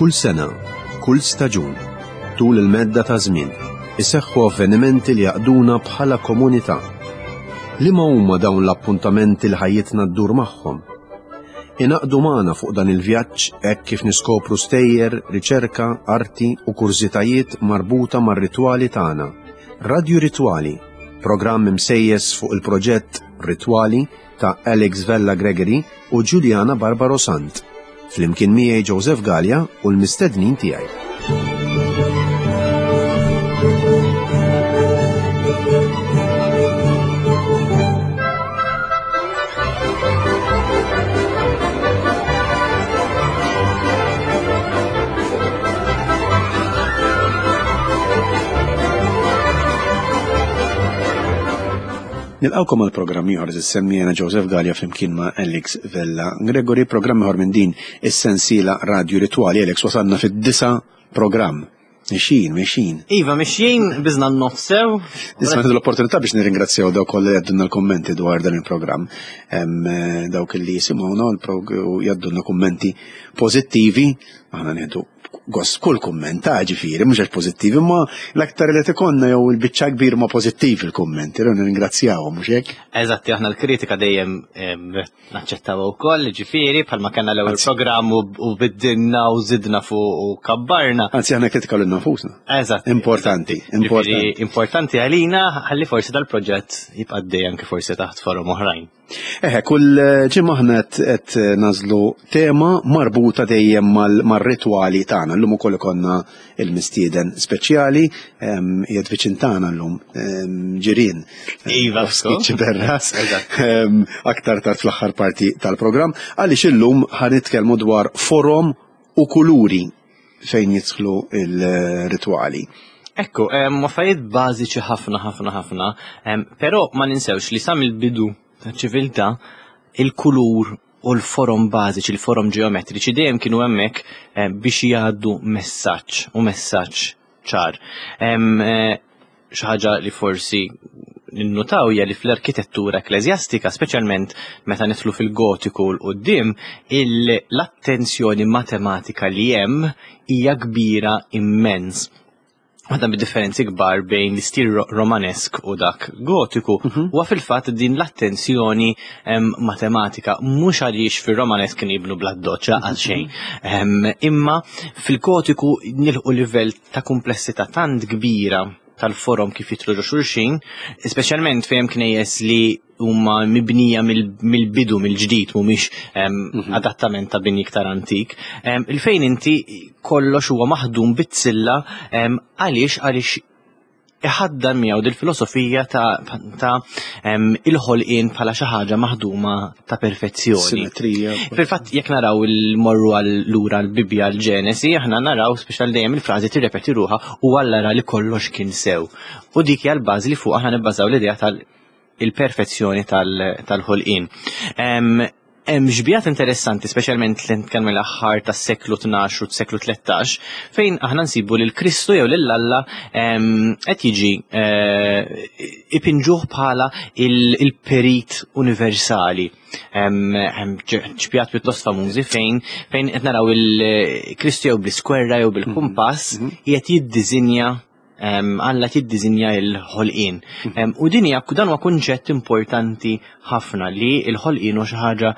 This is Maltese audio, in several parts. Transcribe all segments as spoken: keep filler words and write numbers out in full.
Kull sena, kull staġun, tul il-medda ta' żmien, iseħħu avvenimenti li jaqduna bħala komunità. Liema huma dawn l-appuntamenti li ħajjitna ddur magħhom? Ingħaqdu magħna fuq dan il-vjaġġ hekk kif niskopru stejjer, riċerka, arti u kurżitajiet marbuta mar-ritwali tagħna. Radju Ritwali, programm imsejjes fuq il-proġett Ritwali ta' Alex Vella Gregory u Giuliana Barbaro Sant. Flimkien miegħi Joseph Gallia u l-mistednin tiegħi. Nilqawkom għal programm ieħor semmi jena Joseph Gallia flimkien ma' Alex Vella Gregory, programm ieħor minn din is-sensiela Radio Ritwali. Alex, wasalna fid-disa' programm. Mexjin, mexjin. Iva, mexjin, biżna n-nofsew. Nisma l-opportunità biex nirringrazzjaw dawk kollha li għaddunna l-kommenti dwar dan il-programm. Eh, dawk li jisimgħuna u jgħaddunna kummenti pożittivi, aħna nieħdu gost kull kumment, ta' ġifieri, mhux għax pożittivi, imma l-aktar li tikonna jew il-biċċa kbir ma pożittivi il-kummenti, rru nirringrazzjawhom mhux hekk? Eżatti, aħna l-kritika dejjem naċċettaw ukoll, ġifieri, bħalma kellna l-ewwel programm u biddilna u żidna fuq u kabbarna. Anzi, aħna kritika lil nafusna. Eżatt. Importanti, importanti. Importanti għalina ħalli forsi dal-proġett jibqa' dejjem anke forsi taħt forom oħrajn. Eħe, kull ġimgħa aħna qed nażlu tema marbuta dejjem mar-ritwali tagħna. Llum ukoll ikollna il-mistieden speċjali, qiegħed viċin tagħna llum, ġirien. Iva, Xiberras. Aktar tard fl-aħħar parti tal-programm, għaliex illum ħa nitkellmu dwar forom u kuluri fejn jidħlu il-ritwali. Ekku, affarijiet bażiċi ħafna ħafna ħafna, però ma ninsewx li sa mill-bidu ta' ċiviltà il-kulur u l-forom bażiċi, il-forom ġeometriċi dejjem kienu hemmhekk biex jgħaddu messaġġ u messaġġ ċar. Xi ħaġa li forsi ninnutaw hija li fl-arkitettura ekkleżjastika, speċjalment meta nidħlu fil-gotiku 'l quddiem, l-attenzjoni matematika li hemm hija kbira immens. Waħda mid-differenzi kbar bejn l-istil romanesk u dak gotiku huwa fil-fatt din l-attenzjoni matematika, mhux għaliex fir-romanesk kien jibnu bl-addoċċ għal xejn. Imma fil-gotiku nilħu livell ta' komplessità tant kbira tal-forom kif jidħlu ġo xulxin, speċjalment fejn knejjes li huma mibnija mill-bidu mill-ġdid mhumiex adattament ta' bini iktar antik, il-fejn inti kollox huwa maħdum bizzilla, għaliex għaliex iħaddan miegħu dil-filosofija ta' ta' il-ħolqien bħala xi ħaġa maħduma ta' perfezzjoni. Simetrija. Fil-fatt jekk naraw il-morru għal lura l-Bibbja l-Ġenesi, aħna naraw speċjal dejjem il-frażi tirrepeti ruħha u Alla ra li kollox kien sew. U dik hija l-bażi li fuq aħna nibbażaw l-idea tal-perfezzjoni tal-ħolqien. Hemm xbihat interessanti, speċjalment li nitkellmu l-aħħar tas-seklu tnax u s-seklu tlettax, fejn aħna nsibu lil Kristu jew lil Alla qed jiġi ipinġuh bħala il-perit universali. Hemm xbihat pjuttost famużi fejn fejn qed naraw il-Kristu jew bl-iskwerra jew bil-kumpass qiegħed jiddiżinja, Alla tiddiżinja l-ħolqien. U din hija dan huwa kunċett importanti ħafna li l-ħolqien huwa xi ħaġa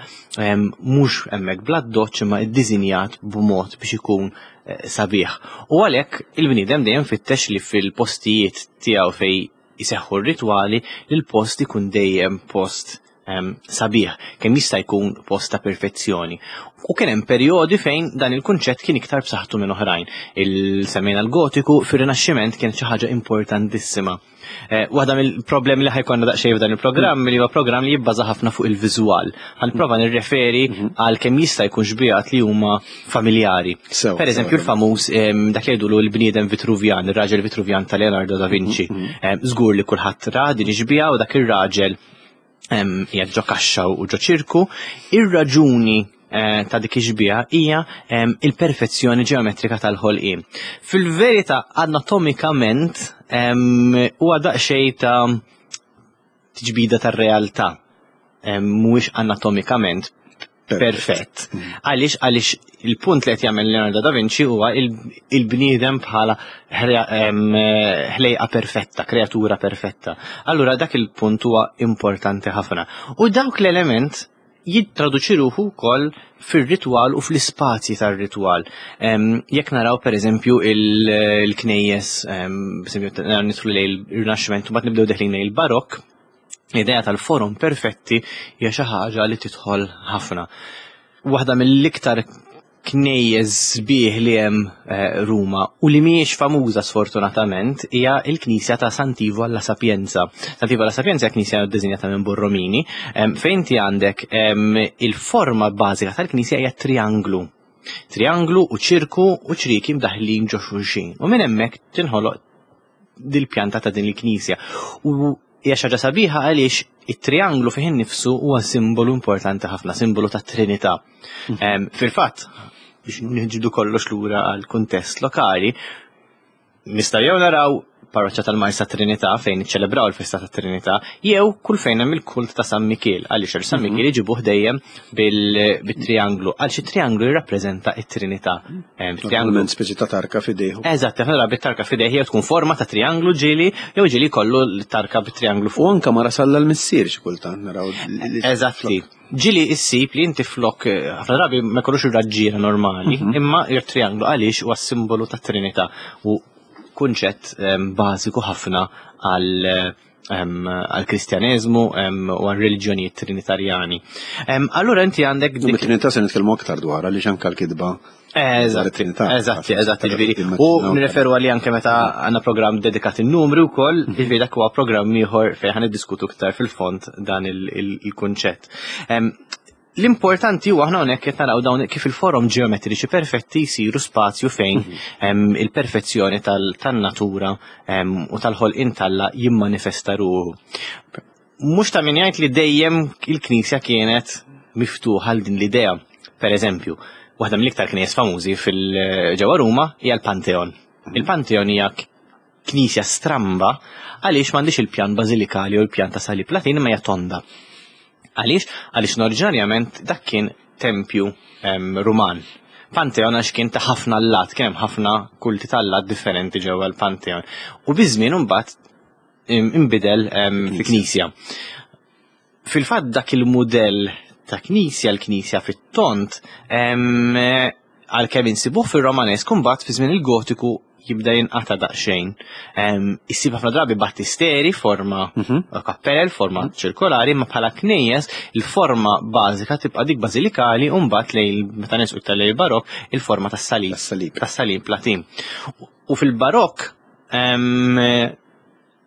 mhux hemmhekk bl-addoċċ imma ddiżinjat b'mod biex ikun sabiħ. U għalhekk il-bniedem dejjem fittex li fil-postijiet tiegħu fejn iseħħu r-ritwali li l-post ikun dejjem post sabiħ, kemm jista' jkun post ta' perfezzjoni. U kien hemm perjodi fejn dan il-kunċett kien iktar b'saħħtu minn oħrajn. Il-semmejna l-gotiku fir-Rinaxximent kien xi ħaġa importantissima. Waħda mill-problemi li ħajkonna daqsxejn f'dan il-programm li huwa programm li jibbaża ħafna fuq il-viżwal. Ħanprova nirreferi għal kemm jista' jkun xbihat li huma familjari. Per eżempju l-famuż dak li jgħidulu l-bniedem Vitruvjan, ir-raġel Vitruvjan ta' Leonardo da Vinci. Żgur li kulħadd ra din ix-xbieha u dak ir-raġel qiegħed ġo kaxxa u ġo ċirku. Ir-raġuni ta' dik ix-xbieha hija il-perfezzjoni ġeometrika tal-ħolqien. Fil-verità anatomikament huwa daqsxejn ta' tiġbida tar-realtà, mhuwiex anatomikament perfett. Għaliex għaliex Il-punt li qed jagħmel Leonardo da Vinci huwa il-bniedem bħala ħlejqa perfetta, kreatura perfetta. Allura dak il-punt huwa importanti ħafna. U dawk l-element jittraduċi ruħu wkoll fir-ritwal u fl-ispazji tar-ritwal. Jekk naraw pereżempju il-knejjes, nidħlu lejn ir-Rinaxximent u mbagħad nibdew deħlin lejn il-Barokk, l-idea tal-forom perfetti hija xi ħaġa li tidħol ħafna. Waħda mill-iktar knejjes sbieħ li hemm eh, Ruma u li mhijiex famuża sfortunatament hija l-Knisja ta' Sant'Ivo alla Sapienza. Sant'Ivo alla Sapienza hija knisja ddisinjata minn Borromini, fejn inti għandek il-forma bażika tal-knisja hija trianglu. Trianglu u ċirku u ċriki mdaħlin ġo xulxin. U minn hemmhekk tinħoloq dil-pjanta ta' din il-knisja. U hija xi ħaġa sabiħa għaliex it-trianglu fih innifsu huwa simbolu importanti ħafna, simbolu ta' Trinità. Mhm. Fil-fatt, biex nġibdu kollox lura għal kuntest lokali, nistgħu jew naraw parroċċa tal-Marsa Trinità fejn iċċelebraw il-festa ta' Trinità, jew kull fejn hemm il-kult ta' San Mikiel, għaliex San mhm. Mikiel iġibuh dejjem bil-trianglu, għaliex it-trianglu jirrappreżenta it-Trinità. Trianglu speċi ta' tarka f'idejh. Eżatt, aħna bit-tarka f'idejh jew tkun forma ta' trianglu ġieli, jew ġieli kollu l-tarka bit-trianglu fuq. U anke mara salla l-missier xi kultant naraw. Eżatti. Ġieli issib li inti flok eh, ħafna drabi ma jkollux ir-raġġiera normali, mhm. imma ir-trianglu għaliex huwa simbolu ta' Trinità u kunċett bażiku ħafna għal għal-Kristjaneżmu u għal-reliġjonijiet trinitarjani. Allura inti għandek. Dik Trinità se nitkellmu aktar dwar għaliex anke l-kitba. Eżatt, eżatt, eżatt, ġifieri. U nirreferu għalli anke meta għandna programm dedikat in-numri wkoll, mhm. ġifieri dak huwa programm ieħor fejn ħan niddiskutu iktar fil-fond dan il-kunċett. L-importanti huwa aħna hawnhekk qed naraw dawn kif il-forom ġeometriċi perfetti jsiru spazju fejn mhm. il-perfezzjoni tan-natura u tal-ħolqien talla jimmanifesta ruħu. Mhux ta' min jgħid li dejjem il-Knisja kienet miftuħa għal din l-idea. Per eżempju, waħda mill-iktar knejjes famużi fil-ġewwa Ruma hija l-Pantheon. Mhm. Il-Pantheon hija knisja stramba għaliex m'għandix il-pjan bażilikali u l-pjan ta' salib Latin imma hija tonda. Għaliex? Għaliex oriġinarjament dak kien tempju Ruman. Pantheon għax kien ta' ħafna allat, kien hemm ħafna kulti ta' allat differenti ġewwa l-Pantheon. U biż-żmien imbagħad inbidel fi knisja. Fil-fatt dak il-mudell ta' knisja, l-knisja fit-tont, għalkemm insibuh fir-Romanesk imbagħad fi żmien il-Gotiku jibda jinqata' daqsxejn. Issib ħafna drabi battisteri forma mhm. kappell, forma mhm. ċirkolari, ma bħala knejjes il-forma bażika tibqa' dik bażilikali u mbagħad lejn meta nisqu iktar lejn il-Barokk il-forma tas-salib. Tas-salib Latin. U fil-Barokk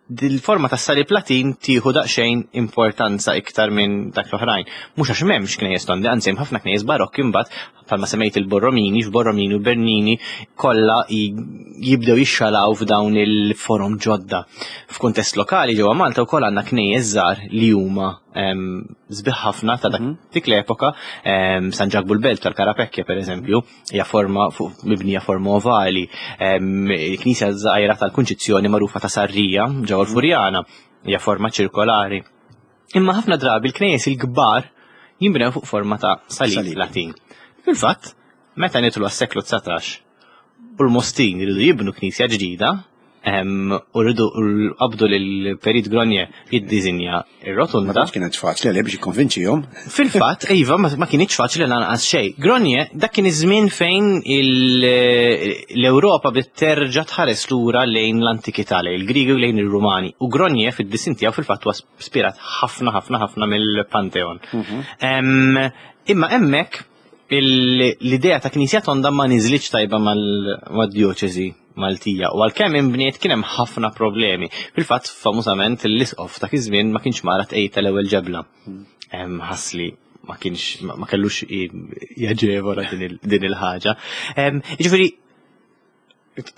dil-forma tas-salib Latin tieħu daqsxejn importanza iktar minn dak l-oħrajn. Mhux għax m'hemmx knejjes tondi, anzi hemm ħafna knejjes barokki imbagħad bħalma semmejt il-Borromini, f'Borromini u Bernini kollha jibdew jixxalaw f'dawn il-forom ġodda. F'kuntest lokali ġewwa Malta wkoll għandna knejjes żgħar li huma sbieħ ħafna ta' dak mhm. dik l-epoka, San Ġakbu l-Belt tal-Karapekkja pereżempju, hija forma mibnija forma ovali. Il-knisja żgħira tal-Kunċizzjoni magħrufa ta' Sarrija ġewwa l-Furjana hija forma ċirkolari. Imma ħafna drabi l-knejjes il-kbar jinbnew fuq forma ta' salib Latin. Fil-fatt, meta nidħlu għas-seklu dsatax u l-Mostin jridu jibnu knisja ġdida, u rridu qabdu lil Perit Gronier jiddiżinja ir-rotunda. Ma kienet faċli għalih biex jikkonvinċihom. Fil-fatt, iva, ma kienx faċli lanqas xejn. Gronier, dak kien iż-żmien fejn l-Ewropa bdiet terġa' tħares lura lejn l-antikità, lejn il-Griegi u lejn ir-Rumani. U Gronier fid-disin tiegħu fil-fatt huwa spirat ħafna ħafna ħafna mill-Pantheon. Mhm. Imma hemmhekk l-idea ta' knisja tonda ma niżlitx tajba mal-djoċesi Maltija u għalkemm inbniet kien hemm ħafna problemi. Fil-fatt famużament l-isqof ta' iż-żmien ma kienx mara tqejt tal-ewwel ġebla. Ħass li ma kienx ma kellux jaġevola din il-ħaġa. Jiġifieri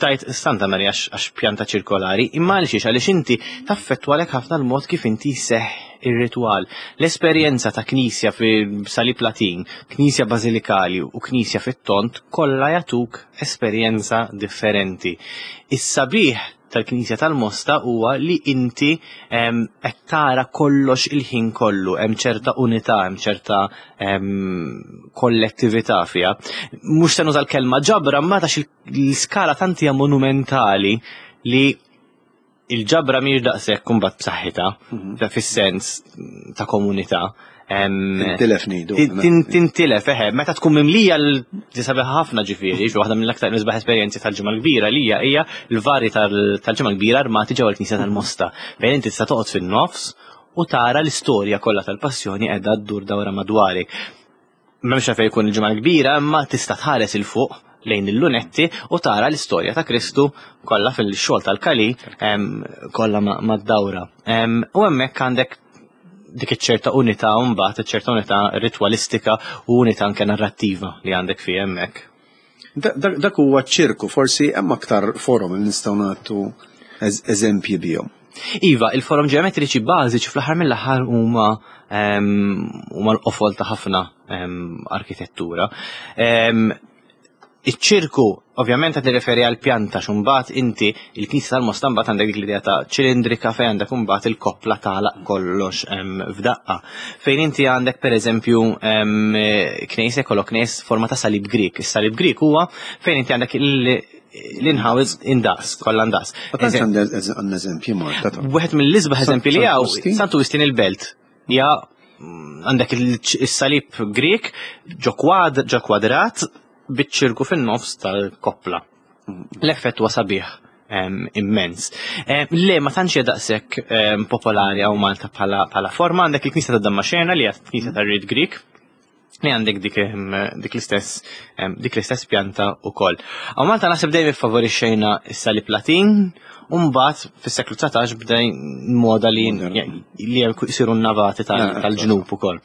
tajt Santa Marija għax pjanta ċirkolari, imma għaliex għaliex inti taffettwalek ħafna l-mod kif inti seħ ir-ritwal. L-esperjenza ta' knisja fi salib Latin, knisja bażilikali u knisja fit-tont kollha jagħtuk esperjenza differenti. Is-sabiħ tal-Knisja tal-Mosta huwa li inti qed tara kollox il-ħin kollu, hemm ċerta unità, hemm ċerta kollettività fiha. Mhux se nuża l-kelma ġabra, ma tax l-iskala tant hija monumentali li il-ġabra mhijiex daqshekk imbagħad b'saħħitha, mhm. fis-sens ta' komunità. Tintilef ngħidu. Tintilef, eħe, meta tkun mimlija l-sabiħa ħafna ġifieri, waħda mill-aktar nisbaħ esperjenzi tal-Ġimgħa l-Kbira li hija hija l-vari tal-Ġimgħa l-Kbira armati ġewwa l-Knisja tal-Mosta. Fejn inti tista' toqgħod fin-nofs u tara l-istorja kollha tal-passjoni qiegħda ddur dawra madwarek. M'hemmx fejn jkun il-Ġimgħa l-Kbira, imma tista' tħares il fuq lejn il-lunetti u tara l-istorja ta' Kristu kollha fil-xogħol tal-Kali kollha mad-dawra. U hemmhekk għandek dik iċ-ċerta unità mbagħad iċ-ċerta unità ritwalistika u unità anke narrattiva li għandek fi hemmhekk. Dak huwa ċirku, forsi hemm aktar forom li nistgħu nagħtu eżempji bihom. Iva, il-forom ġeometriċi bażiċi fl-aħħar mill-aħħar huma huma l-qofol ta' ħafna arkitettura. Iċ-ċirku, ovvjament qed nirreferi għal pjanta xumbat inti il-knisja tal-Mosta mbagħad għandek dik l-idea ta' ċilindrika fejn għandek imbagħad il-koppla tagħlaq kollox f'daqqa. Fejn inti għandek pereżempju knejs kollok knejs forma ta' salib Grik. Is-salib Grik huwa fejn inti għandek l-inħawiz indaqs, kollha ndaqs. Għandna eżempji Malta. Wieħed mill-isbaħ eżempji li hawn Santu Wistin il-Belt. Ja għandek is-salib Grik ġo kwadrat biċ-ċirku fin-nofs tal-koppla. L-effett huwa sabiħ immens. Le, ma tantx hija daqshekk popolari hawn Malta bħala forma, għandek il-Knisja ta' Dammaxena li hija Knisja tar-Rit Grik li għandek dik dik l-istess dik l-istess pjanta wkoll. Hawn Malta naħseb dejjem iffavorixxejna s-salib Latin, u mbagħad fis-seklu dsatax bda moda li li jsiru n-navati tal-ġnub ukoll.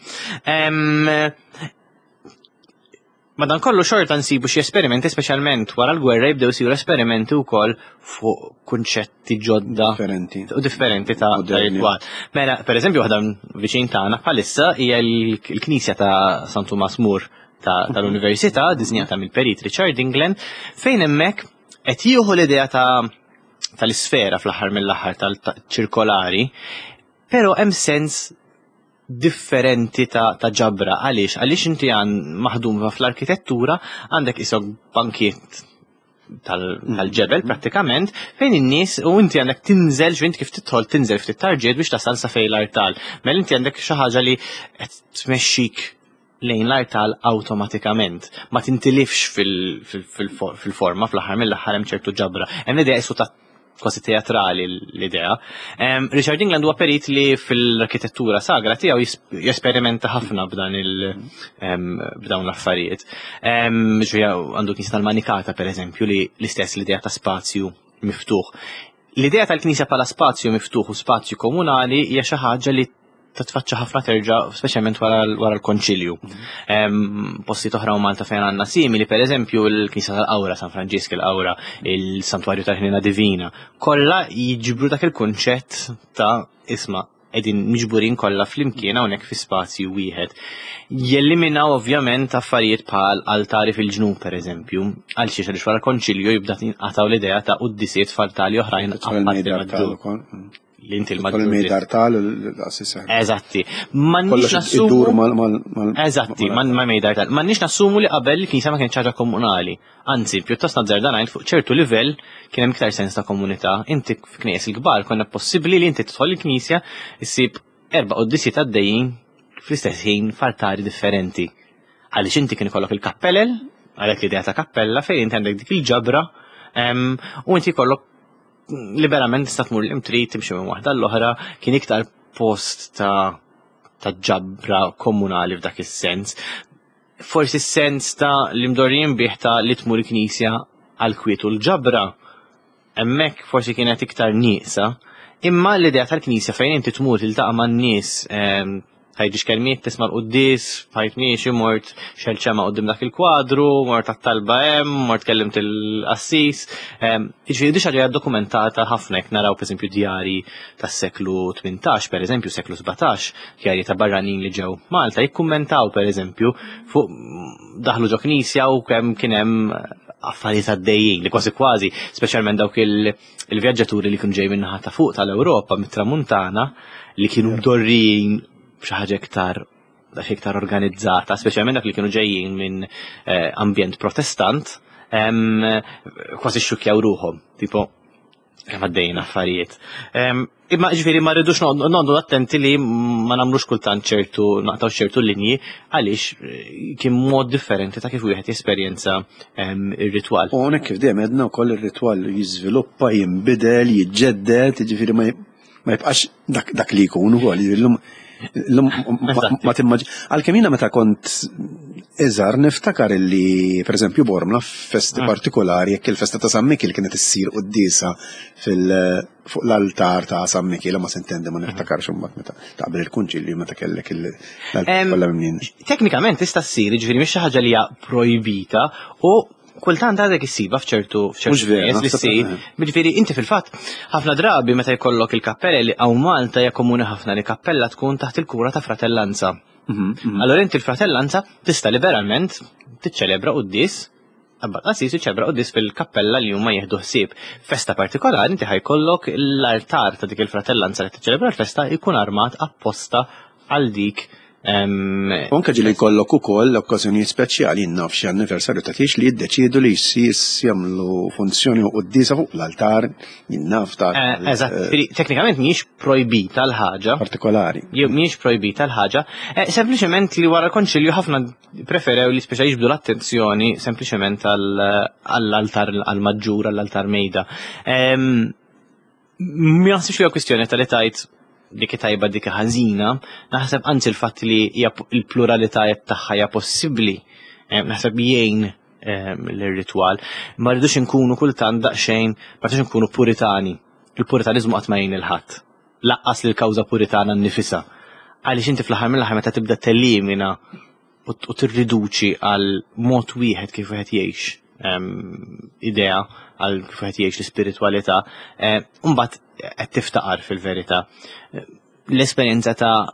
Madankollu xorta nsibu xi esperimenti, speċjalment wara l-gwerra jibdew isiru esperimenti wkoll fuq kunċetti ġodda differenti u differenti ta' ritwal. Mela, pereżempju waħda viċin tagħna bħalissa hija l-Knisja ta' San Tumas More tal-Università, diżinjata mill-Perit Richard England, fejn hemmhekk qed jieħu l-idea ta' tal-isfera fl-aħħar mill-aħħar tal-ċirkolari, però hemm sens differenti ta', ta ġabra. Għaliex? Għaliex inti għan maħdum fl-arkitettura għandek isok bankiet tal-ġebel mm. prattikament fejn in-nies u inti għandek tinżel x'int kif tidħol tinżel ftit tarġiet biex tasal sa fejn l-artal. Mela inti għandek xi ħaġa li qed tmexxik lejn l-artal awtomatikament. Ma tintilifx fil-forma fl-aħħar mill-aħħar hemm ċertu ġabra. Hemm l-idea isu ta' kważi teatrali l-idea. Um, Richard England huwa perit li fil-arkitettura sagra tiegħu jesperimenta ħafna b'dan il um, b'dawn l-affarijiet. Um, għandu knisja tal-Manikata pereżempju li l-istess l-idea ta' spazju miftuħ. L-idea tal-knisja bħala spazju miftuħ u spazju komunali hija xi ħaġa li titfaċċa ħafna terġa' speċjalment wara l-Konċilju. Postijiet oħra u Malta fejn għandna simili, pereżempju l-Knisja tal-Qawra, San Franġisk il-Qawra, il-Santwarju tal-Ħnina Divina, kollha jiġbru dak il-kunċett ta' isma' qegħdin miġburin kollha flimkien hawnhekk fi spazju wieħed. Jelliminaw ovvjament affarijiet bħal altari fil-ġnub pereżempju, għal xiex għaliex wara l-Konċilju jibda tinqataw l-idea ta' quddisiet f'altari oħrajn apparti maġġur. Li inti l-maġġur. Tal l-assisa. Eżatti. M'għandniex nassumu. Eżatti, ma mejdar tal. M'għandniex nassumu li qabel il-knisja ma kienx ħaġa komunali. Anzi, pjuttost nazzarda ngħid fuq ċertu livell kien hemm iktar sens ta' komunità. Inti f'knies il-kbar konna possibbli li inti tidħol il-knisja issib erba' quddisiet għaddejjin fl-istess ħin f'altari differenti. Għaliex inti kien ikollok il-kappellel, għalhekk l-idea ta' kappella fejn inti għandek dik il-ġabra u inti jkollok liberament tista' tmur l-imtrid timxi minn waħda l-oħra, kien iktar post ta' ta' ġabra komunali f'dak is-sens. Forsi s-sens ta' li mdorrijin bih ta' li tmur il-knisja għal kwiet u l-ġabra, hemmhekk forsi kienet iktar nieqsa, imma l-idea tal-knisja fejn inti tmur tiltaqa' man-nies, tgħidix kelmiet, tisma' l-quddies, bħajt miexi, mort xelċema quddiem dak il-kwadru, mort għat-talba hemm, mort kellimt il-qassis. Jiġifieri di xi ħaġa dokumentata ħafna jekk naraw pereżempju djari tas-seklu tmintax, pereżempju seklu sbatax, djarji ta' barranin li ġew Malta jikkummentaw pereżempju fuq daħlu ġo knisja u kemm kien hemm affarijiet għaddejjin li kważi kważi, speċjalment dawk il-vjaġġaturi li kienu ġej min-naħa ta' fuq tal-Ewropa mit-Tramuntana li kienu mdorrijin b'xi ħaġa iktar iktar organizzata, speċjalment dak li kienu ġejjin minn eh, ambjent protestant, kważi xxukkjaw ruħhom, tipo kemm għaddejjin affarijiet. Imma ġifieri ma rridux noqogħdu attenti li ma nagħmlux kultant ċertu naqtaw ċertu linji għaliex eh, kien mod differenti ta' kif wieħed jesperjenza ir-ritwal. U hawnhekk kif dejjem għedna wkoll ir-ritwal jiżviluppa, jinbidel, jiġġedded, jiġifieri ma jibqax dak li jkun ukoll. Illum Illum ma timmaġ. Għalkemm jiena meta kont iżgħar niftakar illi pereżempju Bormla f'festi ah. partikolari jekk il-festa ta' San Mikiel kienet issir quddiesa fil fuq l-altar ta' San Mikiel ma sintendi ma niftakarx imbagħad meta taqbel il-kunċilju meta kellek l-altar kollha mimlin. Teknikament tista' ssir, jiġifieri mhix xi ħaġa li hija projbita u kultant għadek issiba f'ċertu f'ċertu nies li ssir. Jiġifieri inti fil-fatt ħafna drabi meta jkollok il-kappella li hawn Malta hija komuni ħafna li kappella tkun taħt il-kura ta' fratellanza. Mhm, mhm. Allora inti l-fratellanza tista' liberalment tiċċelebra quddies Abba qassis jiċċelebra quddies fil-kappella li huma jieħdu ħsieb. Festa partikolari inti ħajkollok l-altar ta' dik il-fratellanza li tiċċelebra l-festa jkun armat apposta għal dik. U anke ġieli jkollok ukoll okkażjonijiet speċjali naf xi anniversarju ta' tiex li jiddeċiedu li jsir jagħmlu funzjoni u quddiesa fuq l-altar naf ta' eh, Eżatt, eh, teknikament mhijiex projbita l-ħaġa. Partikolari. Mhijiex projbita l-ħaġa. Eh, sempliċement li wara l-konċilju ħafna preferew li speċa jiġbdu l-attenzjoni sempliċement għall-altar għall-maġġur, għall-altar mejda. Ma naħsibx li kwistjoni tal-li tajt dik tajba dik ħażina, naħseb anzi l-fatt li l-pluralità tagħha hija possibbli, eh, naħseb jgħin eh, l-ritwal. Ma rridux inkunu kultant daqsxejn, ma rridux inkunu puritani. Il-puritaniżmu qatt ma jgħin il-ħadd. Laqqas lil kawża puritana nnifisha. Għaliex inti fl-aħħar mill-aħħar meta tibda tellimina u tirriduċi għal mod wieħed kif wieħed jgħix idea għal kif wieħed jgħix l-ispiritwalità, eh, mbagħad qed tiftaqar fil-verità. L-esperjenza ta'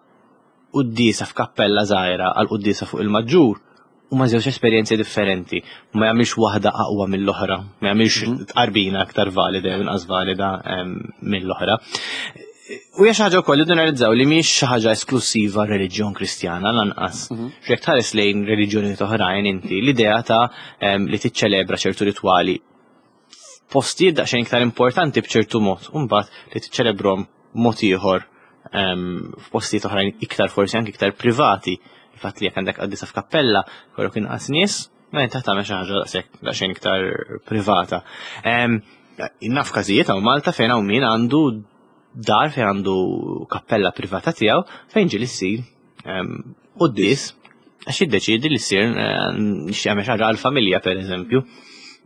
quddiesa f'kappella żgħira għal quddiesa fuq il-maġġur huma żewġ esperjenzi differenti. Ma jagħmilx waħda aqwa mill-oħra, ma jagħmilx mhm. tqarbina aktar valida jew inqas valida mill-oħra. U hija xi ħaġa wkoll li analizzaw li mhijiex xi ħaġa esklusiva reliġjon Kristjana lanqas. Mhm. Jekk tħares lejn reliġjonijiet oħrajn inti l-idea ta' li tiċċelebra ċertu ritwali postijiet daqsxejn iktar importanti b'ċertu mod, u mbagħad li tiċċelebrom mod ieħor f'postijiet oħrajn iktar forsi anke iktar privati. Il-fatt li jekk għandek qaddisa f'kappella, kollok inqas nies, ma inti tagħmel xi ħaġa daqshekk daqsxejn iktar privata. Naf każijiet hawn Malta fejn hawn min għandu dar fejn għandu kappella privata tiegħu fejn ġieli ssir quddies għax jiddeċiedi li ssir jagħmel xi ħaġa għall-familja pereżempju.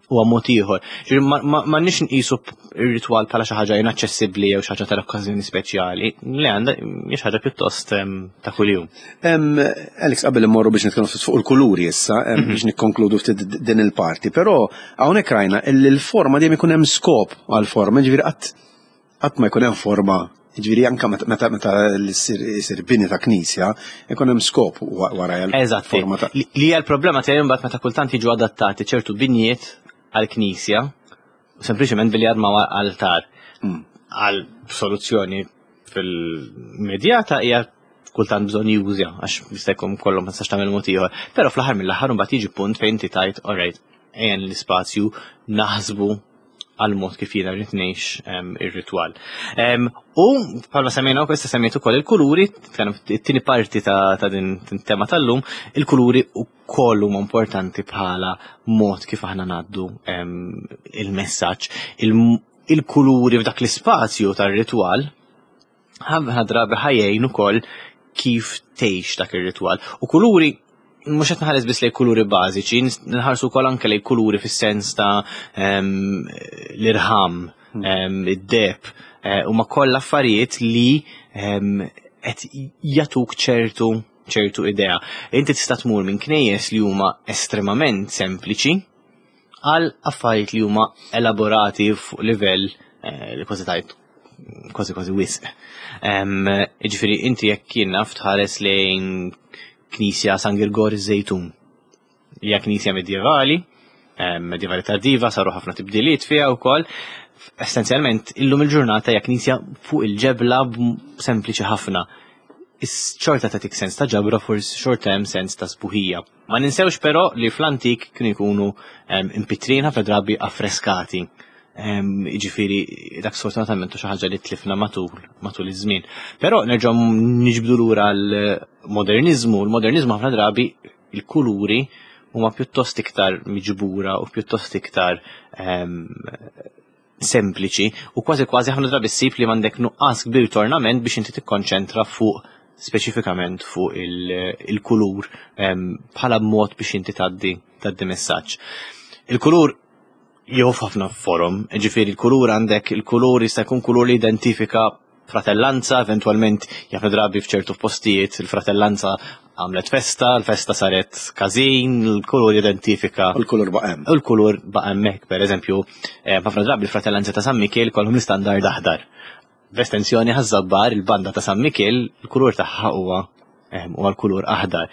Huwa mod ieħor. Ma nix nqisu ir-ritwal bħala xi ħaġa inaċċessibbli jew xi ħaġa tal-okkażjoni speċjali, li għandha hija ħaġa pjuttost ta' kuljum. Alex, qabel immorru biex nitkellmu ftit fuq il-kuluri issa, mhm. biex nikkonkludu ftit din il-parti, però hawnhekk rajna li l-forma dejjem ikun hemm skop għall-forma, ġifieri qatt qatt ma jkun hemm forma. Ġifieri anke meta meta jsir bini ta' knisja, ikun hemm skop wara Eżatt. Forma ta' Li hija l-problema tiegħi imbagħad meta kultant jiġu adattati ċertu binjiet għall-knisja, sempliċement billi jarmaw altar. Hmm. Għal soluzzjoni fil-medjata hija kultant bżonn jużja għax jista' jkun kollhom ma tistax tagħmel mod ieħor. Però fl-aħħar mill-aħħar imbagħad jiġi punt fejn inti tajt alright, ejja l-ispazju naħsbu għal mod kif jiena rrid ngħix ir-ritwal. U bħalma semmejna wkoll issa semmejt ukoll il-kuluri, it-tieni parti ta' din tema tal-lum, il-kuluri wkoll huma importanti bħala mod kif aħna ngħaddu il-messaġġ. Il-kuluri f'dak l-ispazju tar-ritwal ħafna drabi ħajjejn ukoll kif tgħix dak ir-ritwal. U kuluri mhux qed nħares biss lejn kuluri bażiċi, nħarsu wkoll anke lejn kuluri fis-sens ta' l-irħam, hmm. id-deb, eh, huma kollha affarijiet li qed jagħtuk ċertu ċertu idea. Inti tista' tmur minn knejjes li huma estremament sempliċi għal affarijiet li huma elaborati fuq livell eh, li kważi tajt kważi kważi wisq. Jiġifieri inti jekk jien naf tħares lejn Knisja San Girgor iż-Żejtun. Hija knisja medjevali Medjevali tardiva, saru ħafna tibdiliet fiha wkoll. Essenzjalment illum il-ġurnata hija knisja fuq il-ġebla sempliċi ħafna. Xorta tagħtik sens ta' ġabra, forsi xorta hemm sens ta' sbuħija. Ma ninsewx però li fl-antik kienu jkunu impitrin ħafna drabi affreskati. Jiġifieri dak sfortunatament xi ħaġa li tlifna matul matul iż-żmien. Però nerġgħu niġbdu lura l-moderniżmu. Il-moderniżmu ħafna drabi il-kuluri huma pjuttost iktar miġbura u pjuttost iktar sempliċi u kważi kważi ħafna drabi ssib li m'għandek nuqqas kbir tornament biex inti tikkonċentra fuq speċifikament fuq il-kulur bħala mod biex inti tgħaddi tgħaddi messaġġ. Il-kulur jew ħafna forom, ġifieri il-kulur għandek il-kulur jista' jkun kulur li identifika fratellanza, eventualment ħafna drabi f'ċertu postijiet il-fratellanza għamlet festa, l-festa saret każin, il-kulur identifika. U l-kulur baqa' hemm. U l-kulur baqa' hemmhekk, pereżempju, ħafna drabi l-fratellanza ta' San Mikiel kollhom l-istandard aħdar. B'estensjoni Ħaż-Żabbar, il-banda ta' San Mikiel, il-kulur tagħha huwa huwa l-kulur aħdar.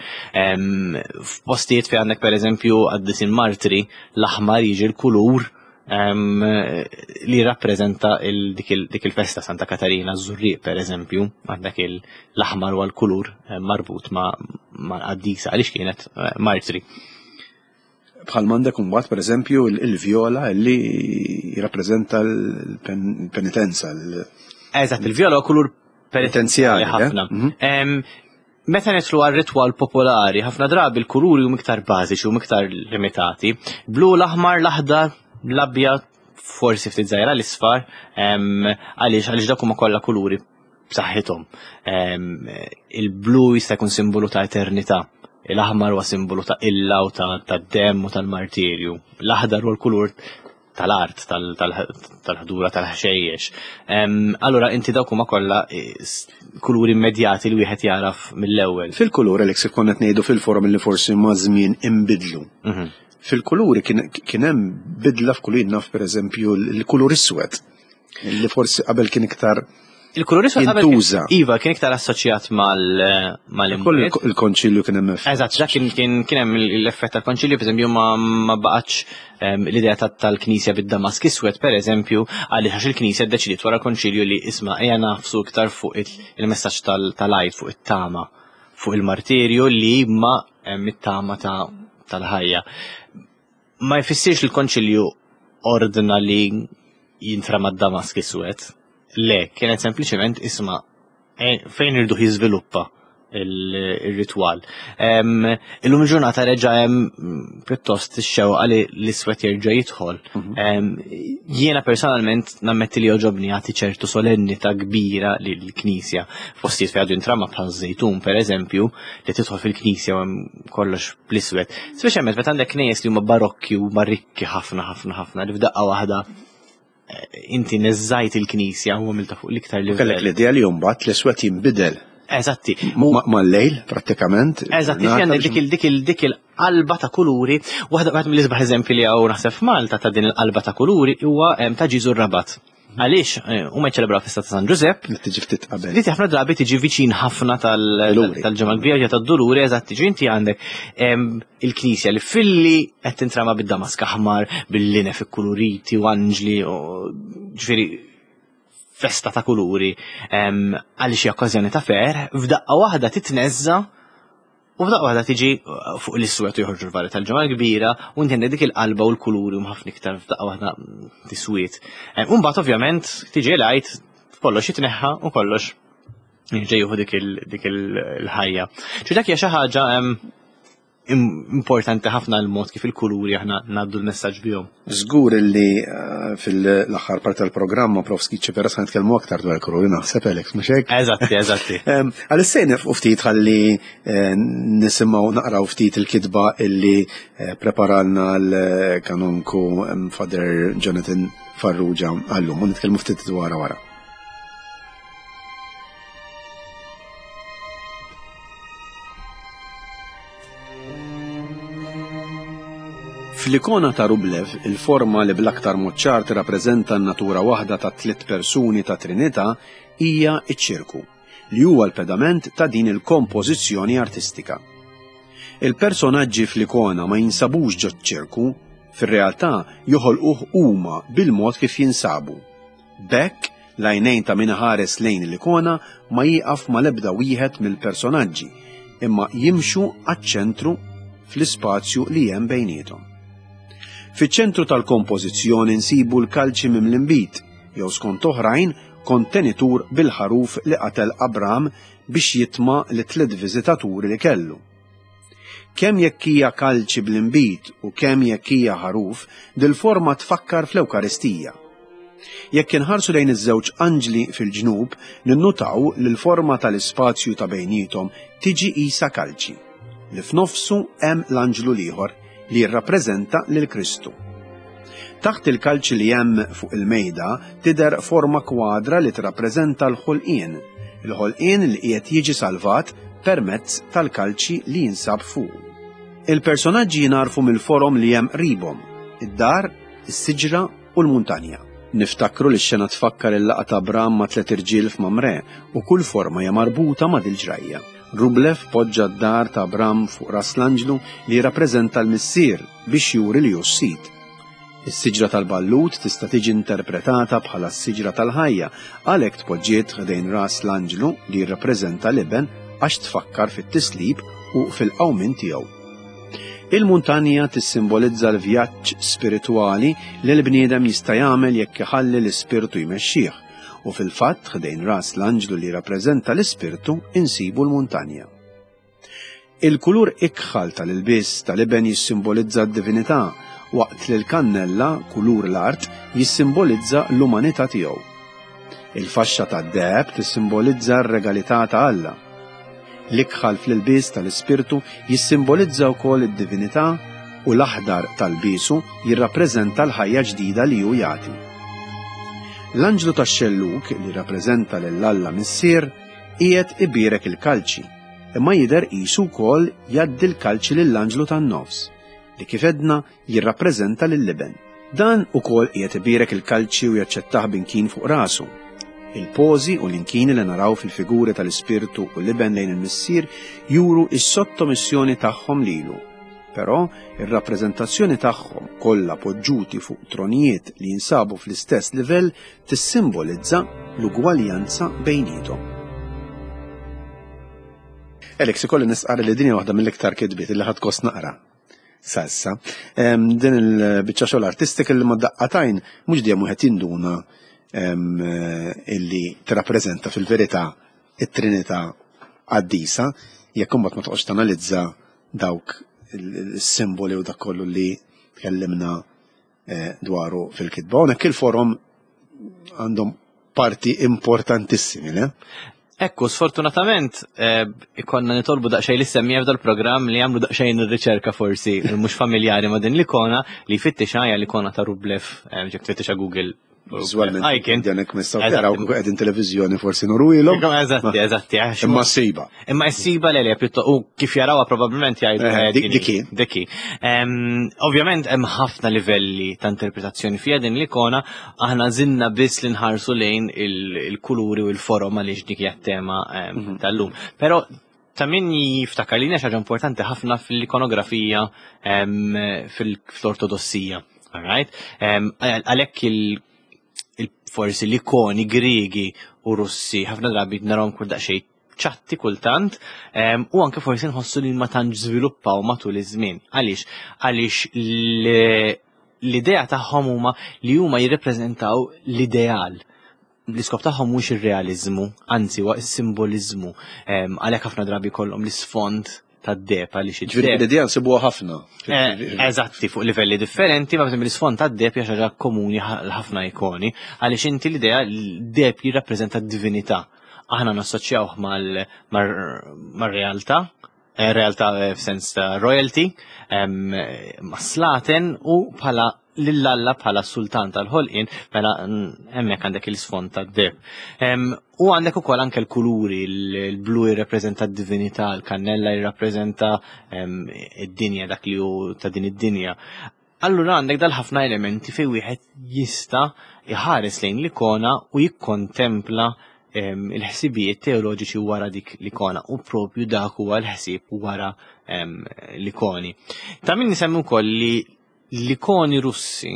F'postijiet fejn għandek pereżempju qaddisin martri, l-aħmar jiġi l-kulur li rappreżenta dik il-festa Santa Katarina Żurrieq pereżempju, għandek l-aħmar huwa l-kulur marbut ma' l-qaddisa għaliex kienet martri. Bħal m'għandek imbagħad pereżempju il-vjola li jirrappreżenta l-penitenza. Eżatt, il-vjola huwa kulur penitenzjali ħafna. Meta nidħlu għal ritwal popolari, ħafna drabi l-kuluri huma iktar bażiċi u iktar limitati. Blu, l-aħmar, l-aħdar, l-abjad, forsi ftit żgħira l-isfar, għaliex għaliex dak huma kollha kuluri b'saħħithom. Il-blu jista' jkun simbolu ta' eternità, l-aħmar huwa simbolu ta' illa u ta' demm u tal-martirju, l-aħdar huwa l-kulur tal-art, tal-ħdura, tal-ħxejjex. Allura inti dawk huma kollha kuluri immedjati li wieħed jaraf mill-ewwel. Fil-kulur Alex konna qed ngħidu fil-forum li forsi ma' żmien inbidlu. Fil-kuluri kien hemm bidla f'kulur naf pereżempju l-kulur iswed li forsi qabel kien iktar Il-kulur iswed qabel iva kien iktar assoċjat mal-imwiet. Il-konċilju kien hemm effett. Eżatt, dak kien kien hemm l-effett tal-konċilju, pereżempju ma baqgħetx l-idea tal-Knisja bid-Damask iswed pereżempju, għaliex għax il-Knisja ddeċidiet wara l-konċilju li isma' ejja nafsu iktar fuq il-messaġġ tal-Għid, fuq it-tama, fuq il-martirju li ma it-tama tal-ħajja. Ma jfissirx il-konċilju ordna li jintrama d-Damask iswed. Le, kienet sempliċement isma' fejn irdu jiżviluppa il-ritwal. Illum il-ġurnata reġa' hemm pjuttost ix-xewqa li l-iswed jerġa' jidħol. Jiena personalment nammetti li jogħġobni jagħti ċertu solennità kbira lill-Knisja. Postijiet fejn għadu jintrama bħal żejtun pereżempju, li tidħol fil-Knisja u hemm kollox bl-iswed. Speċjalment meta għandek knejjes li huma barokki u huma rikki ħafna ħafna ħafna li f'daqqa waħda inti neżżajt il-Knisja u għamilta fuq l-iktar livell. Kellek l-idea li mbagħad l-iswed jinbidel. Eżatti. Mal-lejl prattikament. Eżatti, għandek dik dik dik il-qalba ta' kuluri, waħda waħda mill-isbaħ eżempji li hawn naħseb f'Malta ta' din il-qalba ta' kuluri huwa ta' Ġiżu r-Rabat. Għaliex huma jċelebraw festa ta' San Ġużepp. Li tiġi ftit qabel. Li ħafna drabi tiġi viċin ħafna tal-Ġimgħa l-Kbira tad-Duluri, eżatt, tiġi inti għandek il-Knisja li filli qed tintrama bid-damask aħmar, bil-linef ikkuluriti u anġli, ġifieri festa ta' kuluri, għaliex hija okkażjoni ta' ferħ, f'daqqa waħda titneżża u f'daqqa waħda tiġi fuq l-iswed u joħorġu l-vari tal-Ġimgħa l-Kbira u inti għandek dik il-qalba u l-kuluri u ħafna iktar f'daqqa waħda tiswiet. U mbagħad ovvjament tiġi l-Għid, kollox jitneħħa u kollox jerġa' jieħu dik il-ħajja. Ġi dak hija xi ħaġa importanti ħafna l-mod kif il-kuluri aħna ngħaddu l-messaġġ bihom. Żgur li fil-aħħar parti tal-programma Prof Schicchi Però se nitkellmu aktar dwar il-kuluri naħseb Alex, mhux hekk? Eżatti, eżatti. Għalissa nifqu ftit ħalli nisimgħu naqraw ftit il-kitba illi preparalna l-kanonku Father Jonathan Farrugia għallum u nitkellmu ftit dwar wara. Fl-ikona ta' Rublev, il-forma li bl-aktar mod ċar tirrappreżenta n-natura waħda ta' tliet persuni ta' Trinità hija ċ-ċirku, li huwa l-pedament ta' din il-kompożizzjoni artistika. Il-personaġġi fl-ikona ma jinsabux ġo ċirku, Fir-realtà joħolquh huma bil-mod kif jinsabu. B'hekk, l-għajnejn ta' min iħares lejn l-ikona ma jieqaf mal-ebda wieħed mill-personaġġi, imma jimxu għaċ-ċentru fl-ispazju li hemm bejniethom. Fiċ-ċentru tal-kompożizzjoni nsibu l-kalċi mimli nbid, jew skont oħrajn kontenitur bil-ħaruf li qatel Abram biex jitma' lit-tliet viżitaturi li kellu. Kemm jekk hija kalċi bl-inbid u kemm jekk hija ħaruf, dil-forma tfakkar fl-Ewkaristija. Jekk inħarsu lejn iż-żewġ anġli fil-ġnub, ninnutaw li l-forma tal-ispazju ta' bejniethom tiġi qisha kalċi, li f'nofsu hemm l-anġlu l-ieħor li jirrappreżenta lil Kristu. Taħt il-kalċi li hemm fuq il-mejda tidher forma kwadra li tirrappreżenta l-ħolqien, il-ħolqien li qiegħed jiġi salvat permezz tal-kalċi li jinsab fuq. Il-personaġġi jingħarfu mill-forom li hemm qribhom, id-dar, is-siġra u l-muntanja. Niftakru li x-xena tfakkar il-laqgħa ta' Abram ma' tliet irġiel f'Mamre u kull forma hija marbuta ma' dil-ġrajja. Rublev poġġa d-dar ta' Abram fuq ras l-anġlu li jirrappreżenta l-missier biex juri li hu s-sid. Is-siġra tal-ballut tista' tiġi interpretata bħala s-siġra tal-ħajja, għalhekk tpoġġiet ħdejn ras l-anġlu li jirrappreżenta l-iben għax tfakkar fit-tislib u fil-qawmien tiegħu. Il-muntanja tissimbolizza l-vjaġġ spiritwali li l-bniedem jista' jagħmel jekk iħalli l-ispirtu jmexxih, u fil-fatt ħdejn ras l-anġlu li jirrappreżenta l-ispirtu insibu l-muntanja. Il-kulur ikħal tal-ilbies tal-iben jissimbolizza d-divinità, waqt li l-kannella, kulur l-art, jissimbolizza l-umanità tiegħu. Il-faxxa tad-deheb tissimbolizza r-regalità ta' Alla. L-ikħal fl-ilbies tal-ispirtu jissimbolizza wkoll id-divinità u l-aħdar tal-biesu jirrappreżenta l-ħajja ġdida li hu jagħti. L-anġlu tax-xellug li jirrappreżenta lil Alla Missier qiegħed ibierek il-kalċi, imma jidher qisu wkoll jgħaddi l-kalċi lill-anġlu tan-nofs, li kif edna jirrappreżenta lill-iben. Dan ukoll qiegħed ibierek il-kalċi u jaċċettah b'inkin fuq rasu. Il-pożi u l-inkini li naraw fil-figuri tal-ispirtu u l-iben lejn il-missier juru is-sottomissjoni tagħhom lilu. Però ir-rappreżentazzjoni tagħhom kollha poġġuti fuq tronijiet li jinsabu fl-istess livell tissimbolizza l-ugwaljanza bejniethom. Alex, ikolli nistqarr li din hija waħda mill-iktar kitbiet li ħadt gost naqra sa issa. Din il-biċċa xogħol artistika li ma daqqatajn mhux dejjem wieħed jinduna illi tirrappreżenta fil-verità it-Trinità qaddisa, jekk imbagħad ma toqgħodx tanalizza dawk il-simboli u dak kollu li tkellimna dwaru fil-kitba. Hawnhekk il-forom għandhom parti importantissimi, le? Ekku, sfortunatament, ikonna nitolbu daqsxejn li semmija f'dal programm li jagħmlu daqsxejn ir-riċerka forsi mhux familjari ma' din l-ikona li jfittex hija l-ikona ta' Rublev, ġek tfittexa Google. Viżwalment, janek mistaw taraw kieku qegħdin televiżjoni forsi nurwilhom. Eżatti, eżatti. Imma s-siba. Imma s-siba le le, pjuttost, u kif jarawha probabbilment jgħidu. Diki. Diki. Ovvjament hemm ħafna livelli ta' interpretazzjoni fiha din l-ikona, aħna żinna biss li nħarsu lejn il-kuluri u l-forom għaliex dik hija t-tema tal-lum. Però ta' min jiftakar li hija xi ħaġa importanti ħafna fil-ikonografija fil-ortodossija. All right? Għalhekk il forsi l-ikoni Griegi u Russi ħafna drabi narahom kull daqsxejn ċatti kultant, u anke forsi nħossu li ma tantx żviluppaw matul iż-żmien. Għaliex? Għaliex l-idea tagħhom huma li huma jirrepreżentaw l-ideal. L-iskop tagħhom mhux ir-realiżmu, anzi huwa s-simboliżmu. Għalhekk ħafna drabi kollhom l-isfond tad-deheb għaliex Ġifieri l-idea nsibuha ħafna. Eżatti, fuq livelli differenti, ma l-isfond tad-deheb hija xi ħaġa komuni ħafna ikoni, għaliex inti l-idea l-deheb jirrappreżenta d-divinità. Aħna nassoċjawh mar-realtà, realtà f'sens ta' royalty, ma' slaten u bħala lill-Alla bħala sultan tal-ħolqien, mela hemmhekk għandek il-sfond tad-deheb. U għandek ukoll anke l-kuluri, il-blu jirrappreżenta d-divinità, l-kannella jirrappreżenta id-dinja, dak li hu ta' din id-dinja. Allura għandek dal-ħafna elementi fejn wieħed jista' jħares lejn l-ikona u jikkontempla il-ħsibijiet teoloġiċi wara dik l-ikona, u propju dak huwa l-ħsieb wara l-ikoni. Ta' min nisemmi wkoll li L-ikoni Russi,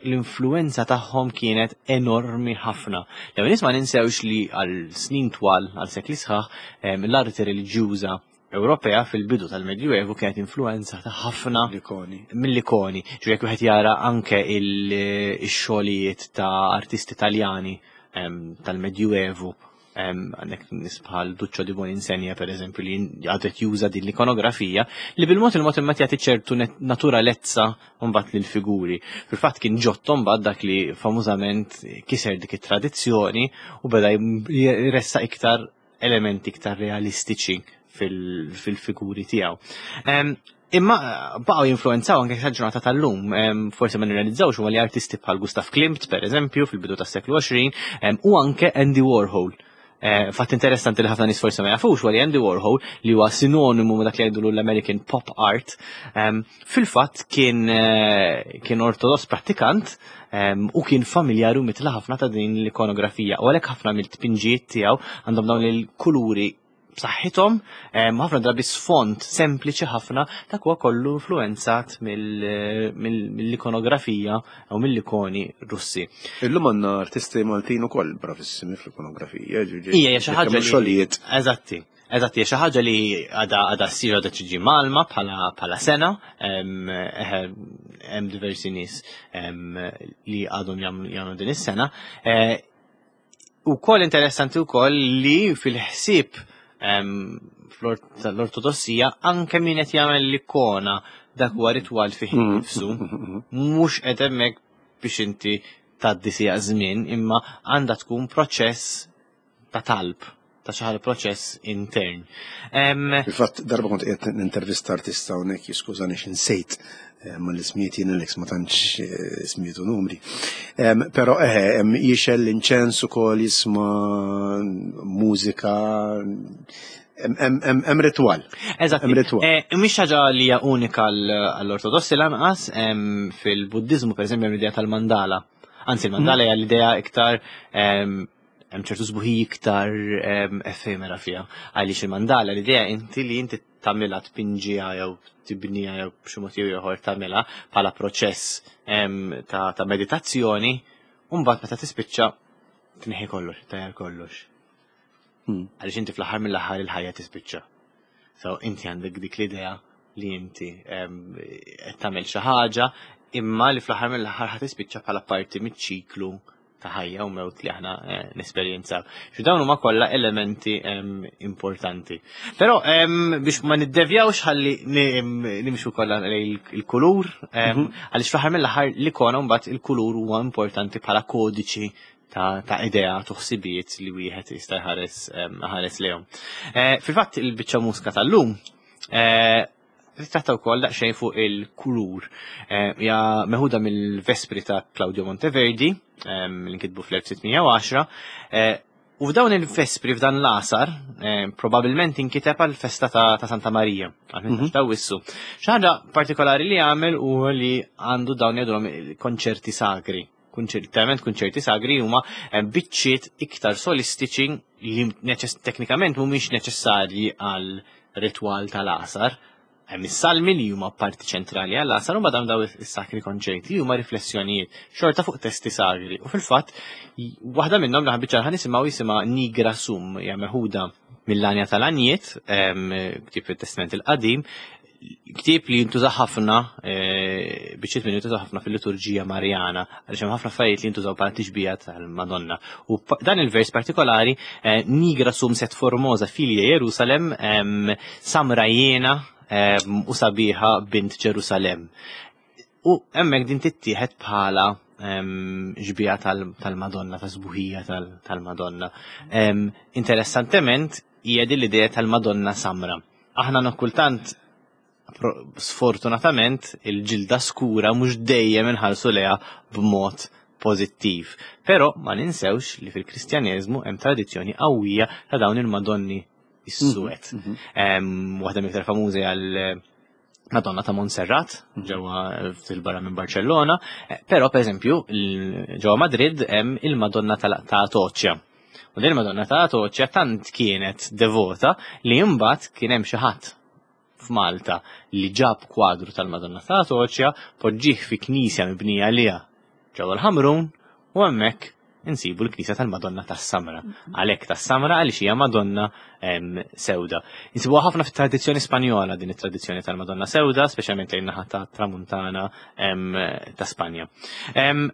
l-influenza tagħhom kienet enormi ħafna. Lew nies ma ninsewx li għal snin twal, għal sekli sħaħ, l-arti reliġjuża Ewropea fil-bidu tal-Medjuevu kienet influenzata ħafna L-ikoni. mill-ikoni. Ġu jekk wieħed jara anke il-xogħlijiet ta' artisti Taljani tal-Medjuevu, għandek nies bħal Duccio di Buoninsegna, per eżempju, li għadet juża din l-ikonografija li bil-mod il-mod imma jagħti ċertu naturalezza mbagħad lill-figuri. Fil-fatt kien Giotto mbagħad dak li famużament kiser dik it-tradizzjoni u beda jressa iktar elementi iktar realistiċi fil-figuri tiegħu. Imma baqgħu jinfluenzaw anke sa ġurnata tal-lum, forsi ma nirrealizzawx huma li artisti bħal Gustav Klimt, per eżempju, fil-bidu tas-seklu għoxrin, u anke Andy Warhol. Eh, fatt interessanti li ħafna nies forsi ma jafux huwa li Andy Warhol, li huwa sinonimu ma' dak li jgħidulu l-American Pop Art, fil-fatt kien eh, kien ortodoss prattikant u kien familjari u mitla ħafna ta' din l-ikonografija. U għalhekk ħafna mill-tpinġijiet tiegħu għandhom dawn il-kuluri b'saħħithom, ħafna drabi sfond sempliċi ħafna, dak huwa kollu influenzat mill-ikonografija u mill-ikoni Russi. Illum għandna artisti Maltin ukoll bravissimi fl-ikonografija, ġifieri Ija, hija xi ħaġa li xogħlijiet. Eżatti. Eżatti, hija xi ħaġa li għadha għadha ssir, għadha tiġi malma bħala bħala sena, hemm diversi nies li għadhom jagħmlu din is-sena. Eh, Ukoll interessanti wkoll li fil-ħsieb fl-ortodossija anke min qed jagħmel l-ikona dak huwa ritwal fih Mm. innifsu, mhux qed hemmhekk biex inti tgħaddi sija żmien, imma għandha tkun proċess ta' talb, ta' xi ħaġa proċess intern. Fil-fatt darba kont qiegħed nintervista artista hawnhekk, jiskużani x'insejt eh, ma l-ismijiet jien Alex ma tantx eh, ismijiet u numri. Però eħe, hemm jixel l-inċens ukoll, jisma' mużika, hemm ritwal. Eżatt. Hemm ritwal. Eh, mhix ħaġa li hija unika għall-Ortodossi lanqas, fil-Buddiżmu pereżempju hemm l-idea tal-mandala. Anzi, il-mandala hija l-idea iktar hemm ċertu sbuħiji iktar effemera fiha. Għaliex il-mandala l-idea inti li inti tagħmilha, tpinġiha jew tibniha jew b'xi mod jew ieħor tagħmilha bħala proċess ta', ta' meditazzjoni, u mbagħad meta tispiċċa tneħħi kollox, tajjar kollox. Hmm. Għaliex inti fl-aħħar mill-aħħar il-ħajja tispiċċa. So inti għandek dik l-idea li inti qed tagħmel xi ħaġa imma li fl-aħħar mill-aħħar ħa tispiċċa bħala parti miċ-ċiklu ta' ħajja u mewt li aħna eh, nesperjenzaw. Xi dawn huma kollha elementi importanti. Però biex ma niddevjawx ħalli nimxu kollha lejn il-kulur, Mhm. għaliex fl-aħħar mill-aħħar l-ikona mbagħad il-kulur huwa importanti bħala kodiċi ta', ta' idea tuħsibijiet li wieħed jista' jħares ħares lejhom. Eh, fil-fatt il-biċċa mużika tal-lum eh, titratta wkoll daqsxejn fuq il-kulur. Hija meħuda mill-Vespri ta' Claudio Monteverdi, li nkitbu fl-elf sitt mija u għaxra, u f'dawn il-Vespri, f'dan l-għasar, probabbilment inkiteb għal festa ta', ta' Santa Marija, għal Mhm. ta' Wissu. Xi ħaġa partikolari li għamel u li għandu dawn jgħidulhom konċerti sagri. Literalment konċerti sagri huma biċċiet iktar solistiċi li neċess- teknikament mhumiex neċessarji għal ritwal tal-għasar. Hemm is-salmi li huma parti ċentrali għall-għasar u madam daw is-sakri konċerti li huma riflessjonijiet xorta fuq testi sagri. U fil-fatt waħda minnhom li ħabiċċa ħa nisimgħu jisimha Nigra Sum, hija meħuda mill-Għanja tal-Għanjiet, ktieb fit-Testament il-Qadim, ktieb li jintuża ħafna, eh, biċċiet minn jintuża ħafna fil-liturġija Marjana, għaliex hemm ħafna affarijiet li jintużaw bħala tixbija tal-Madonna. U pa- dan il-vers partikolari, eh, Nigra sum sed formosa filia Jerusalem, em, samra jiena em, u sabiħa bint Ġerusalem. U hemmhekk din tittieħed bħala em, xbieha tal- tal-Madonna, ta' sbuħija tal- tal-Madonna. Em, Interessantement, hija din l-idea tal-Madonna Samra. Aħna kultant pro- sfortunatament il-ġilda skura mhux dejjem inħarsu lejha b'mod pożittiv. Però ma ninsewx li fil-Kristjaneżmu hemm tradizzjoni qawwija ta' dawn il-Madonni is-suwed. Mhm. Em, Waħda mill-iktar famużi għal Madonna ta' Montserrat, ġewwa fil-barra minn Barcellona, eh, però per eżempju il- ġewwa Madrid hemm il-Madonna tal- ta' Atocha. U din il-Madonna ta' Atocha tant kienet devota li mbagħad kien hemm xi ħadd f'Malta li ġab kwadru tal-Madonna ta' Atoċja, poġġih fi knisja mibnija għaliha ġewwa l-Ħamrun u hemmhekk insibu l-knisja tal-Madonna tas-Samra. Għalhekk tas-Samra għaliex hija Madonna em, sewda. Insibuha ħafna fit-tradizzjoni Spanjola din it-tradizzjoni tal-Madonna sewda, speċjalment lejn naħa ta' Tramuntana em, ta' Spanja. Em,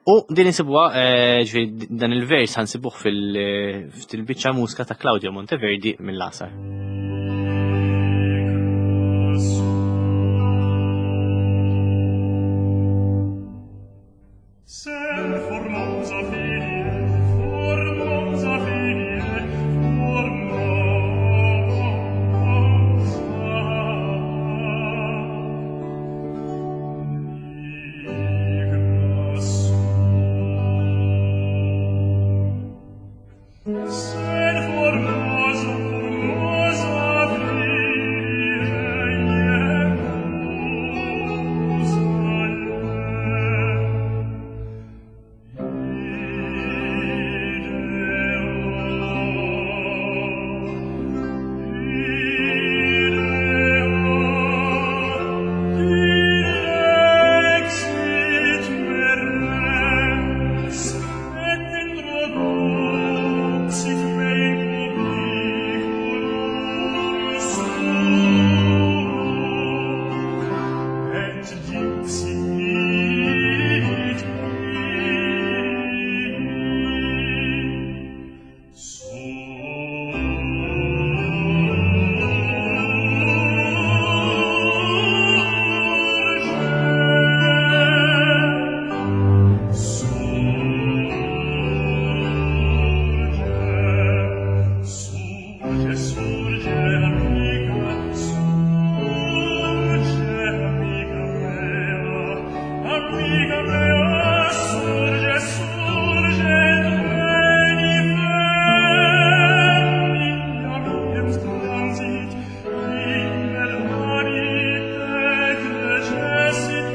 U din insibuha, eh, ġifieri dan il-vers ħa nsibuh fil-biċċa mużika ta' Claudio Monteverdi mill-Għasar. Sen formosa figlie, formosa figlie, formosa. Nigra sum. Sen formosa, formosa figlie, Et dixit Surge, surge, amica, surge, amica mea, amica mea, surge, surge, veni, veni, amiem transit, in el recessit,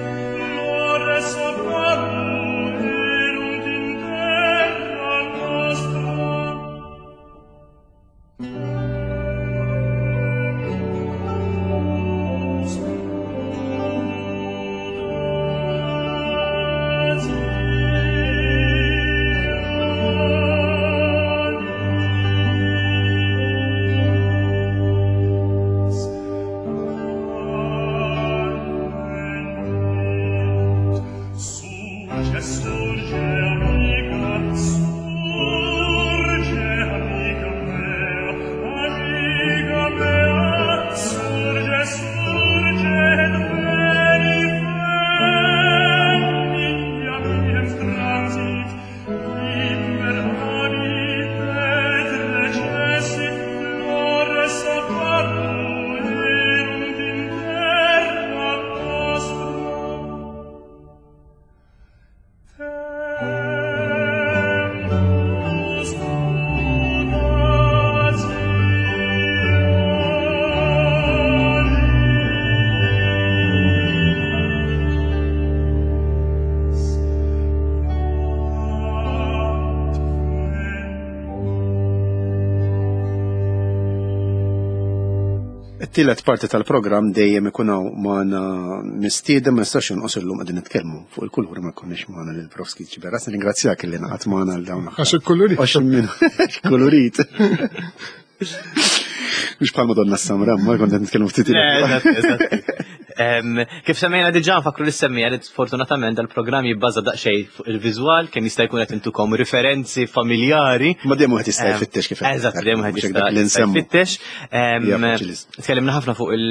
flores apparuerunt in terra nostra. Surge, surge, amica, surge, amica mea, amica mea, surge, surge, et veni, veni, amiem transit, immer habit et recessit, flores apparuerunt in terra nostra. Tempus mutationis It-tielet parti tal-programm dejjem ikun hawn magħna mistieden ma nistax jonqos illum qegħdin nitkellmu fuq il-kulur ma jkunniex magħna lil Prof Sciberras. Ringrazzjak li ngħaqad magħna għal dawn Għax il-kulurit. Għax minn kulurit. Mhux bħal Madonna Samra, ma kont qed nitkellmu ftit Le, eżatt, eżatt. Em, Kif semmejna diġà nfakru li semmija li sfortunatament dal-programm jibbaża daqsxejn fuq il-viżwal, kemm jista' jkun qed intukom referenzi familjari. Ma dejjem wieħed jista' Em, jfittex kif qed Eżatt, dejjem wieħed mhux hekk jista' dak li jista' nsemmu. jfittex. Em, Hija faċilist. Tkellimna ħafna fuq il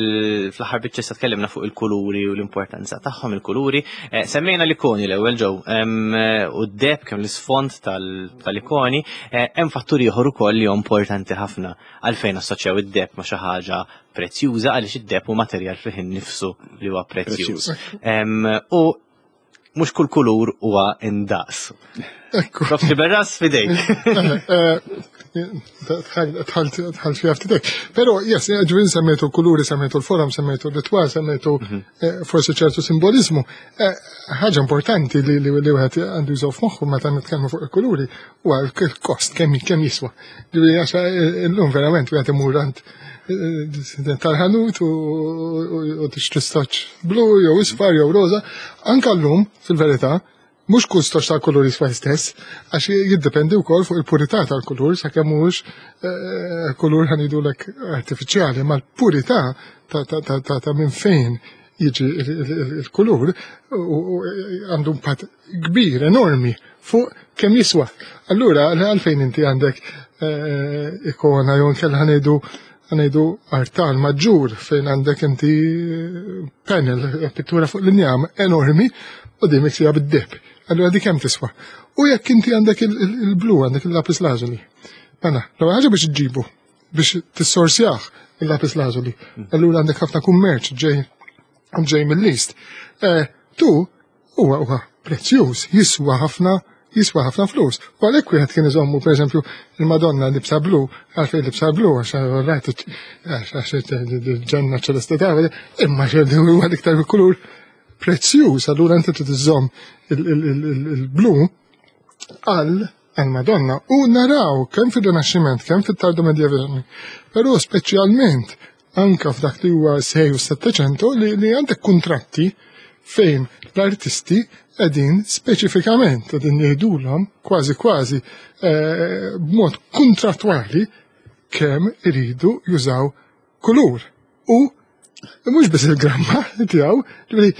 fl-aħħar biċċa issa tkellimna fuq il-kuluri u l-importanza tagħhom il-kuluri. Eh, Semmejna l-ikoni l-ewwel ġew em, u d-deb kemm l-isfond tal- tal-ikoni, eh, hemm fattur ieħor ukoll li huwa importanti ħafna għalfejn assoċjaw id-deb ma' xi ħaġa prezzjuża għaliex id-deb hu materjal fih innifsu li huwa prezzjuż. Prezzjuż. Em, U mhux kull kulur huwa indaqs. Ekku. Prof Sciberras, f'idejk. Dħalt fiha ftit. Però, yes, ġifieri semmejtu kuluri, semmejtu l-forum, semmejtu l-ritwal, semmejtu mhm. eh, forsi ċertu simbolizmu. Eh, ħaġa importanti li li wieħed għandu jżomm f'moħħu meta nitkellmu fuq il-kuluri huwa l-kost kemm kemm jiswa. Ġifieri għax eh, illum verament wieħed imur għand tal-ħanut u tixtri stoċ blu jew isfar jew roza. Anka llum, fil-verità, mhux kull stoċ tal-kulur jiswa stess, għax jiddependi wkoll fuq il-purità tal-kulur, sakemm mhux eh, kulur ħa ngħidulek artifiċjali, ma l-purità ta' minn fejn jiġi il-kulur għandu impatt kbir, enormi, fuq kemm jiswa. Allura, għalfejn inti għandek eh, ikona jew nkella ħa ngħidu ħa ngħidu artal maġġur fejn għandek inti panel, pittura fuq l-injam enormi u di miksija bid-deheb. Allura di kemm tiswa? U jekk inti għandek il-blu, għandek il-lapis lazuli. Mela, l ħaġa biex ġibu, biex tissorsjah il-lapis lazuli. Allura għandek ħafna kummerċ ġej ġej mill-East. Eh, tu huwa huwa prezzjuż, jiswa ħafna jiswa ħafna flus. U għalhekk wieħed kien iżommu pereżempju il-Madonna libsa blu, għalfejn libsa blu għax għax il-ġenna ċelesti ta' imma huwa l-iktar kulur prezzjuż, allura inti trid iżomm il-blu għal għal-Madonna u naraw kemm fil-Rinaxximent, kemm fit-Tardo Medjevali, però speċjalment anka f'dak li huwa sei u settecento li, li għandek kontratti fejn l-artisti qegħdin speċifikament qegħdin jgħidulhom kważi kważi eh, b'mod kontrattwali kemm iridu jużaw kulur. U mhux biss il-gramma tiegħu, ġifieri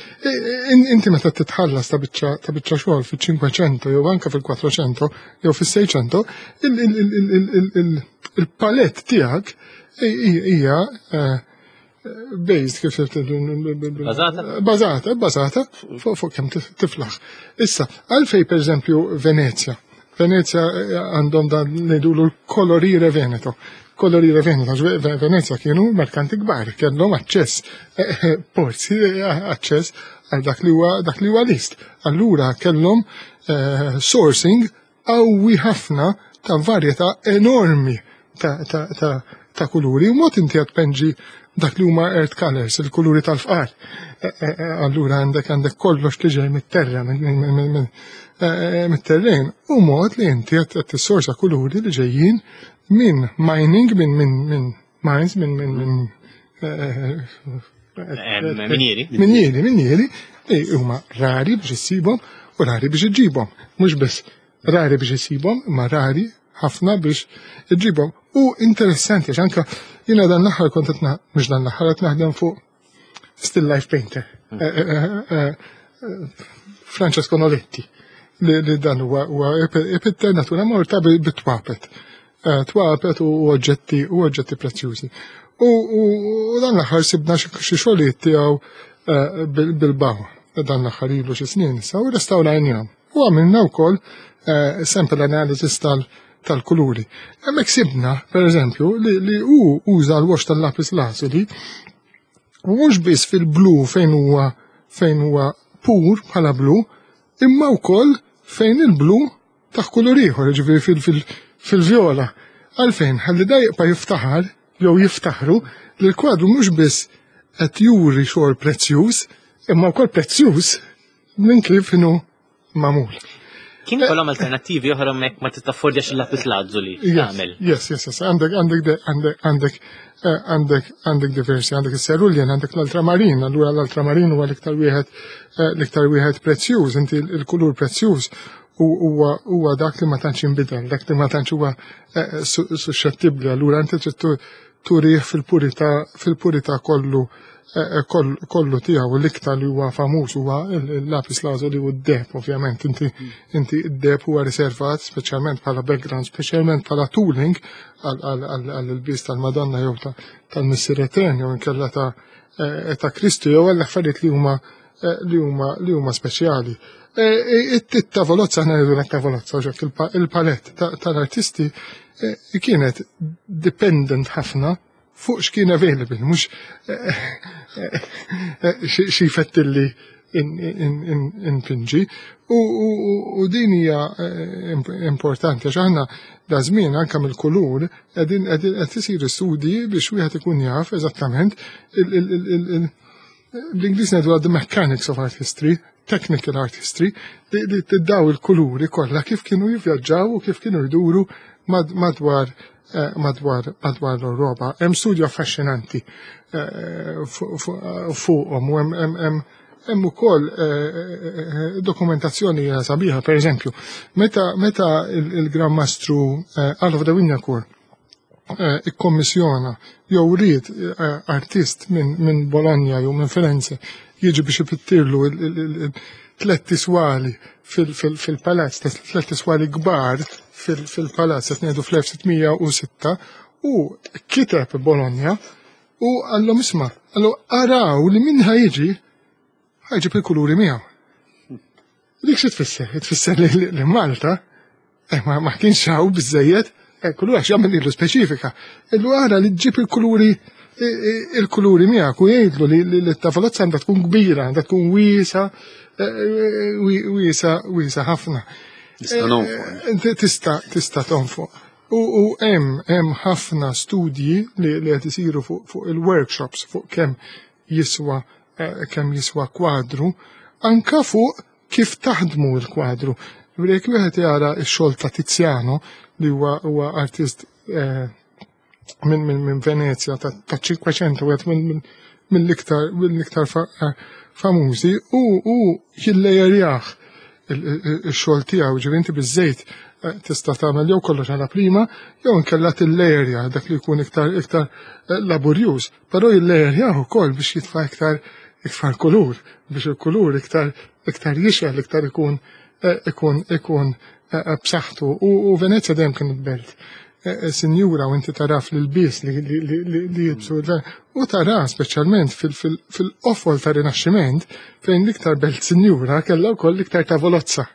inti meta titħallas ta' biċċa ta' biċċa xogħol fil-cinquecento jew anke fil-quattrocento jew fis-seicento, il-palette tiegħek hija eh, based kif Bażata? Bażata, bażata fuq kemm tiflaħ. Issa, għalfej per eżempju Venezia. Venezia eh, għandhom dan ngħidulu l-colorire Veneto. Colorire Veneto, Venezia kienu merkanti kbar, kellhom aċċess, eh, eh, porzi, aċċess għal dak li huwa dak li huwa l-East. Allura kellhom sourcing qawwi ħafna ta' varjetà enormi ta' ta' ta' ta' kuluri. U mod inti qed tpenġi dak li huma earth colors, il-kuluri tal-fqar. E, e, e, allura għandek għandek kollox li ġej mit-terra, mit-terren. U mod li inti qed tissorsa kuluri li ġejjin minn mining, minn minn minn mines, minn minn minn Minieri. Minieri, minieri, li huma rari biex issibhom u rari biex iġibhom. Mhux biss rari biex issibhom, ma rari ħafna biex iġibhom. U interessanti, għax anka jiena dan l-aħħar kont qed mhux dan l-aħħar qed naħdem fuq still life painter. Hmm. Eh, eh, eh, Francesco Noletti li dan huwa ipitter natura morta bit-twapet. Twapet u oġġetti u oġġetti prezzjużi. U dan l-aħħar sibna xi xogħlijiet tiegħu bil-baw. Dan l-aħħar ilu xi snin issa u restawrajnihom. U għamilna wkoll sample analysis tal- tal-kuluri. Hemmhekk sibna, per eżempju, li, li hu uża l-wash tal-lapis lazuli u mhux biss fil-blu fejn huwa fejn huwa pur bħala blu, imma wkoll fejn il-blu taħ kulur ieħor, ġifieri fil-vjola. Għalfejn, ħalli da jibqa' jiftaħar jew jiftaħru li l-kwadru mhux biss qed juri xogħol prezzjuż, imma wkoll prezzjuż minn kif inhu magħmul. Kien ikollhom alternattivi oħra hemmhekk ma tittaffordjax il-lapis lazuli tagħmel. Yes, yes, yes, għandek għandek għandek għandek eh, għandek għandek diversi, għandek il-cerulean, għandek l-ultramarin, allura l-ultramarin huwa l-iktar wieħed eh, l-iktar wieħed prezzjuż, inti l-kulur prezzjuż huwa huwa dak li ma tantx jinbidel, dak li ma tantx huwa eh, suscettibbli, allura inti trid turih fil-purità fil-purità kollu kollu tiegħu l-iktar li huwa famuż huwa il-lapis lazuli u d-deheb, ovvjament. Inti inti d-deheb huwa riservat speċjalment bħala background, speċjalment bħala tooling għall-ilbies tal-Madonna jew tal-Missier Etern jew inkella ta' ta' Kristu jew għall affarijiet li huma li huma li huma speċjali. It-tavolozza, aħna ngħidu tavolozza, il-palette tal-artisti kienet dependent ħafna fuq x'kien available, mhux xi fettilli inpinġi. U din hija importanti għax aħna da żmien anke mill-kulur qegħdin qed isiru studji biex wieħed ikun jaf eżattament bl-Ingliż ngħidu the mechanics of art history, technical art history, li tiddaw il-kuluri kollha kif kienu jivvjaġġaw u kif kienu jduru madwar madwar madwar l-Ewropa. Hemm studju affaxxinanti fuqhom u hemm hemm ukoll dokumentazzjoni sabiħa, per eżempju, meta meta il-Gran Mastru Alof de Wignacourt ikkommissjona jew ried artist minn Bologna jew minn Firenze jiġi biex ipittirlu tliet tiswali fil-palazz, tliet tiswali kbar fil-palazz qed ngħidu fl-elf sitt mija u sitta, u kiteb Bologna u qallhom, "Isma'," qallu, "araw li min ħa jiġi ħa jġib il-kuluri miegħu." Dik xi tfisser? Tfisser li Malta ma kienx hawn biżejjed kulur għax jagħmel ilu speċifika. Illu ara li ġġib il-kuluri il-kuluri miegħek u jgħidlu li t-tavolozza għandha tkun kbira, għandha tkun wiesa, wiesa, wiesa ħafna. Tista' nonfoq. Tista' tista' tonfoq. U hemm hemm ħafna studji li qed isiru fuq il-workshops, fuq kemm jiswa kemm jiswa kwadru, anka fuq kif taħdmu l-kwadru. Jekk wieħed jara x-xogħol ta' Tiziano, li huwa huwa artist minn min, min Venezia ta' Cinquecento, wieħed mill-iktar mill-iktar famużi, u u jillejerjah il-xogħol tiegħu, ġifieri inti biż-żejt tista' tagħmel jew kollox għala prima jew inkella tillejerja, dak li jkun iktar iktar laborjuż, però jillejerjah ukoll biex jitfa' iktar iktar kulur, biex il-kulur iktar iktar jixgħel, iktar ikun ikun ikun b'saħħtu. U Venezia dejjem kienet belt sinjura, u inti taraf l-ilbies li jilbsu u tara speċjalment fil-qofol ta' Rinaxximent, fejn l-iktar belt sinjura kellha wkoll l-iktar tavolozza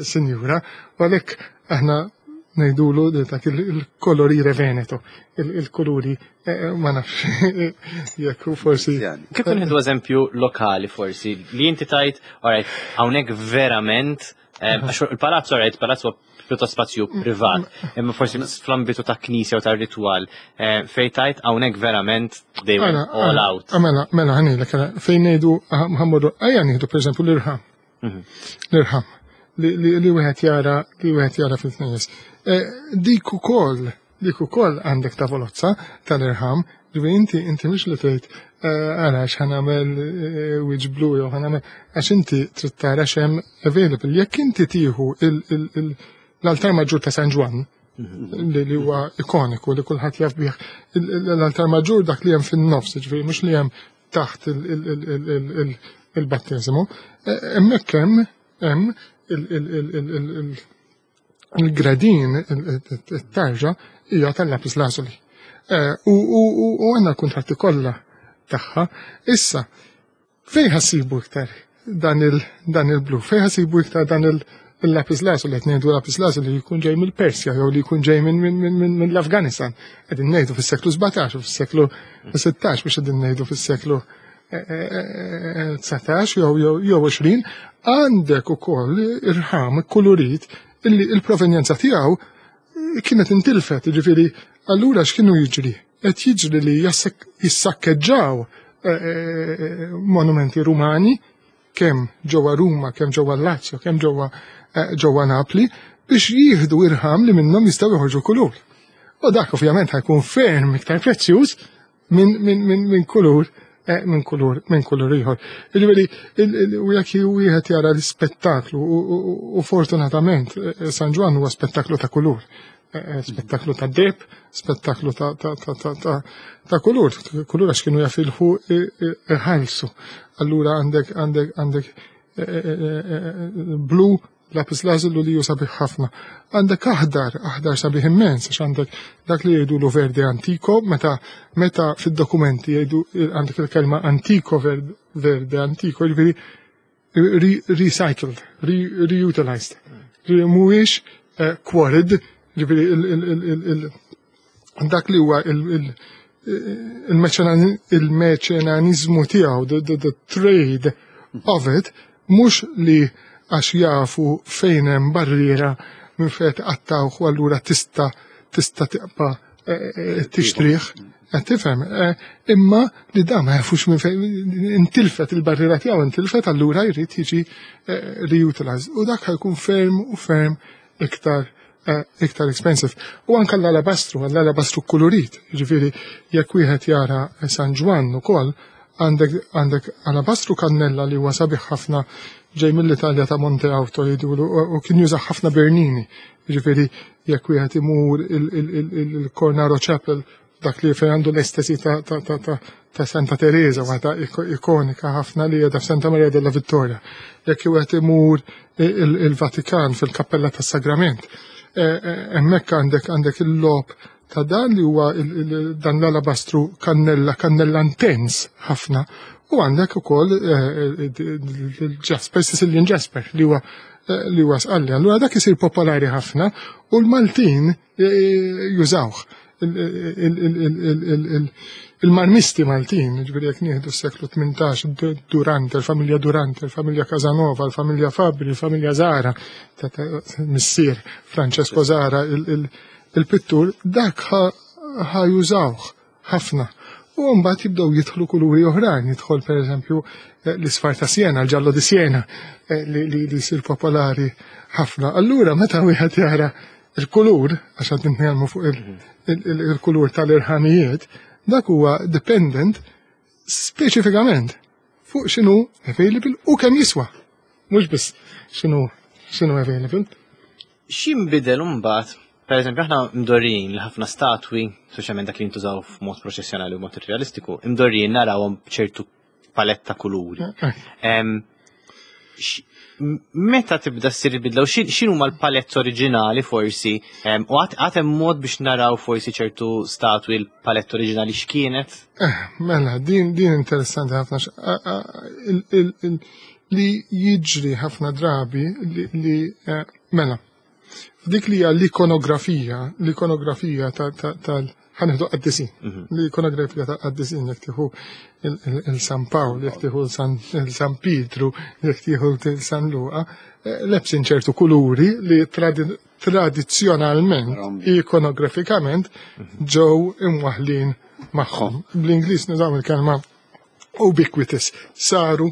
sinjura, u għalhekk aħna ngħidulu dak il-colorire veneto, il-kuluri, ma nafx jekk forsi. Kif nieħdu eżempju lokali forsi li inti tajt, alright, hawnhekk verament, għax il-palazzo, alright, palazzo pjuttost spazju privat, imma forsi fl-ambitu ta' knisja u ta' ritual, fejn tajt hawnhekk verament they went all out? Mela, mela, ħanilek, fejn ngħidu ħammorru, ejja nieħdu per eżempju l-irħam. L-irħam li wieħed jara li wieħed jara fil-knejjes. Dik ukoll, dik ukoll għandek tavolozza tal-irħam, ġifieri inti inti mhux li tgħid ara x'ħa nagħmel wiċċ blu jew ħa nagħmel, għax inti trid tara x'hemm available. Jekk inti tieħu l-altar maġġur ta' San Ġwann, li huwa ikoniku li kulħadd jaf bih, l-altar maġġur dak li hemm fin-nofs, ġifieri mhux li hemm taħt il-batteżimu, hemmhekk hemm hemm il-gradin, it-tarġa hija tal-lapis lazuli. U għandna l-kuntratti kollha tagħha. Issa, fejn ħa ssibu iktar dan il-blu? Fejn ħa ssibu iktar dan il-lapis lazuli? Qed ngħidu lapis lazuli li jkun ġej mill-Persja jew li jkun ġej minn l-Afganistan. Qegħdin ngħidu fis-seklu sbatax u fis-seklu sittax, biex qegħdin ngħidu fis-seklu dsatax jew jew għoxrin, għandek ukoll irħam kulurit illi il-provenjenza tiegħu kienet intilfet, ġifieri allura x'kienu jiġri? Qed jiġri li jissakkeġġaw monumenti rumani kemm ġewwa Ruma, kemm ġewwa Lazio, kemm ġewwa ġewwa Napli, biex jieħdu irħam li minnhom jistgħu joħorġu kulur. U dak ovvjament ħa jkun ferm iktar prezzjuż minn min, min, min kulur minn kulur minn kulur ieħor. Jiġifieri u jekk wieħed jara l-ispettaklu, u fortunatament San Ġwann huwa spettaklu ta' kulur, spettaklu ta' deb, spettaklu ta' ta' ta' ta' ta' ta' kulur, kulur għax kienu jafilħu iħallsu. Allura għandek għandek għandek blu lapis lazuli li ju sabiħ ħafna. Għandek aħdar, aħdar sabiħ immens, għax għandek dak li jgħidu lu verde antico, meta meta fid-dokumenti jgħidu għandek il-kelma antico, verde antico, jiġifieri recycled, reutilized. Mhuwiex quarried, ġifieri dak li huwa il-meċenanizmu tiegħu, the trade of it, mhux li għax jafu fejn hemm barriera minn fejn tqattawh u allura tista' tista' tibqa' eh, eh, tixtrih. Qed tifhem, eh, imma li da ma jafux minn fejn intilfet il-barriera tiegħu intilfet, allura jrid jiġi reutilized. U dak ħa jkun ferm u ferm iktar iktar expensive. U anka l-alabastru, l-alabastru kolorit, ġifieri jekk wieħed jara San Ġwann ukoll, għandek għandek alabastru kannella li huwa sabiħ ħafna, ġej mill-Italja, ta' Monte Auto jgħidulu, u kien juża ħafna Bernini. Ġifieri jekk wieħed imur il-Cornaro Chapel, dak li fejn għandu l-estesi ta' ta' ta' ta' ta' Santa Teresa, waħda ikonika ħafna li qiegħda f'Santa Maria della Vittoria. Jekk wieħed imur il-Vatikan fil-Kappella tas-Sagrament, hemmhekk għandek għandek il-lob ta' dan li huwa dan l-alabastru kannella, kannella intens ħafna, u għandek ukoll il-Jasper, Sicilian Jasper, li huwa li huwa sqalli. Allura dak isir popolari ħafna u l-Maltin jużawh. Il-marmisti Maltin, ġifieri jekk nieħdu s-seklu tmintax, Durante, il-familja Durante, il-familja Casanova, il-familja Fabri, il-familja Zara, missier Francesco Zara, il-pittur, dak ħa jużawh ħafna. U mbagħad jibdew jidħlu kuluri oħrajn, jidħol pereżempju l-isfar ta' Siena, il-giallo di Siena, li jsir popolari ħafna. Allura meta wieħed jara il-kulur, għax qed nitkellmu fuq il-kulur tal-irħamijiet, dak huwa dependent speċifikament fuq x'inhu available u kemm jiswa. Mhux biss x'inhu x'inhu available. X'inbidel imbagħad? Per eżempju, aħna mdorrijin li ħafna statwi, speċjalment dak li jintużaw f'mod proċessjonali u mod realistiku, mdorrijin narawhom b'ċertu paletta kuluri. Meta tibda ssir bidla u x'inhu l-palett oriġinali forsi, u għad hemm mod biex naraw forsi ċertu statwi l-palett oriġinali x'kienet? Eh, mela, din din interessanti ħafna, li jiġri ħafna drabi li eh, mela, dik li hija l-ikonografija, l-ikonografija tal, ħa nieħdu qaddisin. Mhm. L-ikonografija ta' qaddisin, jekk tieħu il-San Pawl, jekk tieħu il-San Pietru, jekk tieħu il-San Luqa, eh, lebsin ċertu kuluri li tradizzjonalment, ikonografikament, mhm. ġew imwaħlin magħhom. Bl-Ingliż nużaw il-kelma ubiquitous, saru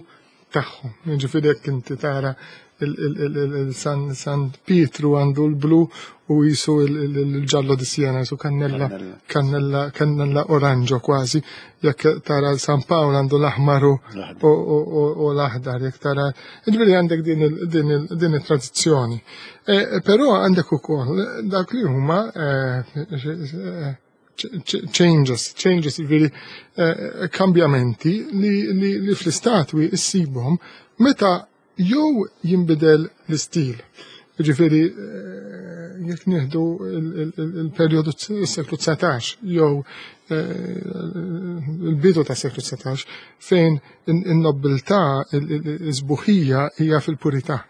tagħhom. Ġifieri jekk inti tara il-San San Pietru għandu l-blu u jisu il-giallo di Siena, jisu kannella, kannella, kannella oranġo kważi. Jekk tara l-San Pawl għandu l-aħmar u l-aħdar, jekk tara, ġifieri għandek din il-tradizzjoni. E, però għandek ukoll dak li huma e, changes, changes, ġifieri e, kambjamenti li fl-istatwi issibhom meta jew jinbidel l-istil. Ġifieri, eh, jekk nieħdu il-perjodu s-seklu dsatax jew eh, il-bidu ta' seklu dsatax, fejn in-nobiltà, il-sbuħija hija fil-purità.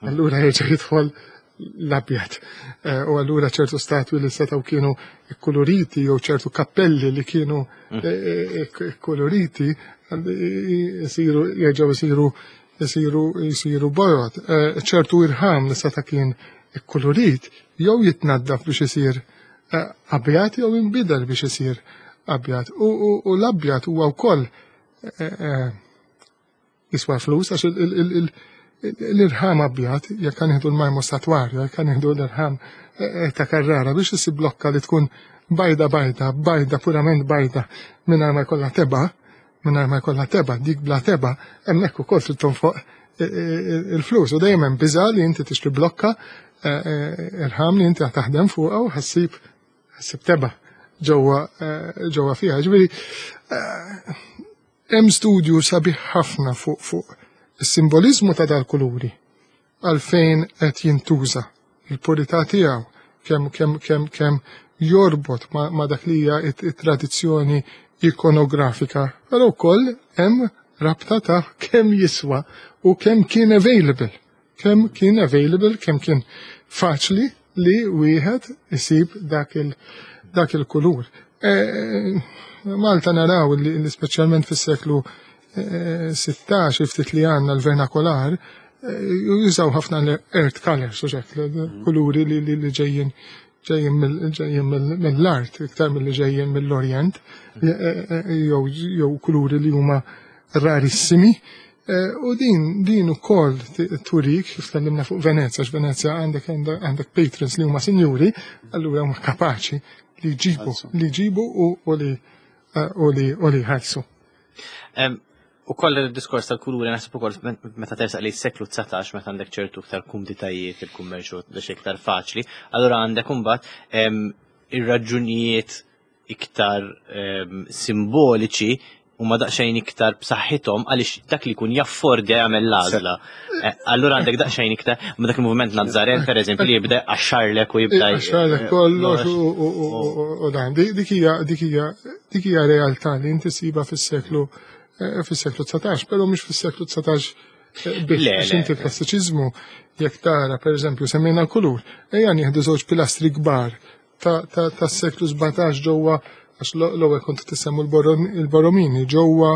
Allura jerġa' jidħol l-abjad. Eh, u allura ċertu statwi li setgħu kienu koloriti jew ċertu kappelli li kienu mm. koloriti jisiru jerġgħu jisiru jisiru jisiru bojod. Eh, ċertu irħam li seta' kien ikkolorit jew jitnaddaf biex isir eh, abjad jew inbidel biex isir abjad. U l-abjad huwa wkoll eh, jiswa flus, għax l-irħam abjad, jekk ħa nieħdu l-marmu statwarju, jekk ħa nieħdu l-irħam ta' Carrara, biex isib blokka li tkun bajda bajda, bajda purament bajda, mingħajr ma jkollha tebgħa, mingħajr ma jkollha tebgħa, dik bla tebgħa, hemmhekk ukoll trid tonfoq il-flus. U dejjem hemm biża' li inti tixtri blokka irħam li inti taħdem fuqha u ħa ssib ħa ssib tebgħa ġewwa ġewwa fiha. Ġifieri hemm studju sabiħ ħafna fuq fuq is-simbolizmu ta' dal-kuluri, għalfejn qed jintuża, il-purità tiegħu, kemm kemm kemm kemm jorbot ma, ma dak li hija it-tradizzjoni ikonografika, però wkoll hemm rabta ta' kemm jiswa u kemm kien available. Kemm kien available, kemm kien faċli li wieħed isib dak il dak il-kulur. E, Malta naraw li, li speċjalment fis-seklu sittax ftit li għandna l-vernakolar, jużaw ħafna l-earth colors, u hekk, kuluri li li ġejjin ġejjin mill-art, iktar mill-li ġejjin mill-Orient, jew kuluri li huma rarissimi. U din din ukoll turik, kif tkellimna fuq Venezia, għax Venezia għandek għandek patrons li huma sinjuri, allura huma kapaċi li jġibu, li jġibu u li u li u li jħallsu. U koll il-diskors tal-kuluri naħseb ukoll meta tersaq li s-seklu dsatax, meta għandek ċertu iktar kumditajiet, il-kummerċu biex iktar faċli, allura għandek imbagħad ir-raġunijiet iktar simboliċi huma daqsxejn iktar b'saħħithom, għaliex dak li jkun jaffordja jagħmel l-għażla. Allura għandek daqsxejn iktar, ma dak il-moviment Nazzaren, per eżempju, li jibda għaxxarlek u jibda Għaxxarlek kollox u dan. Dik hija dik hija dik hija realtà li inti siba fis-seklu fis-seklu dsatax, però mhux fis-seklu dsatax biss, inti l-klassiċiżmu jekk tara, per eżempju, semmejna l-kulur, ejja nieħdu żewġ pilastri kbar tas-seklu sbatax ġewwa, għax l-ewwel kont tissemmu il-Borromini ġewwa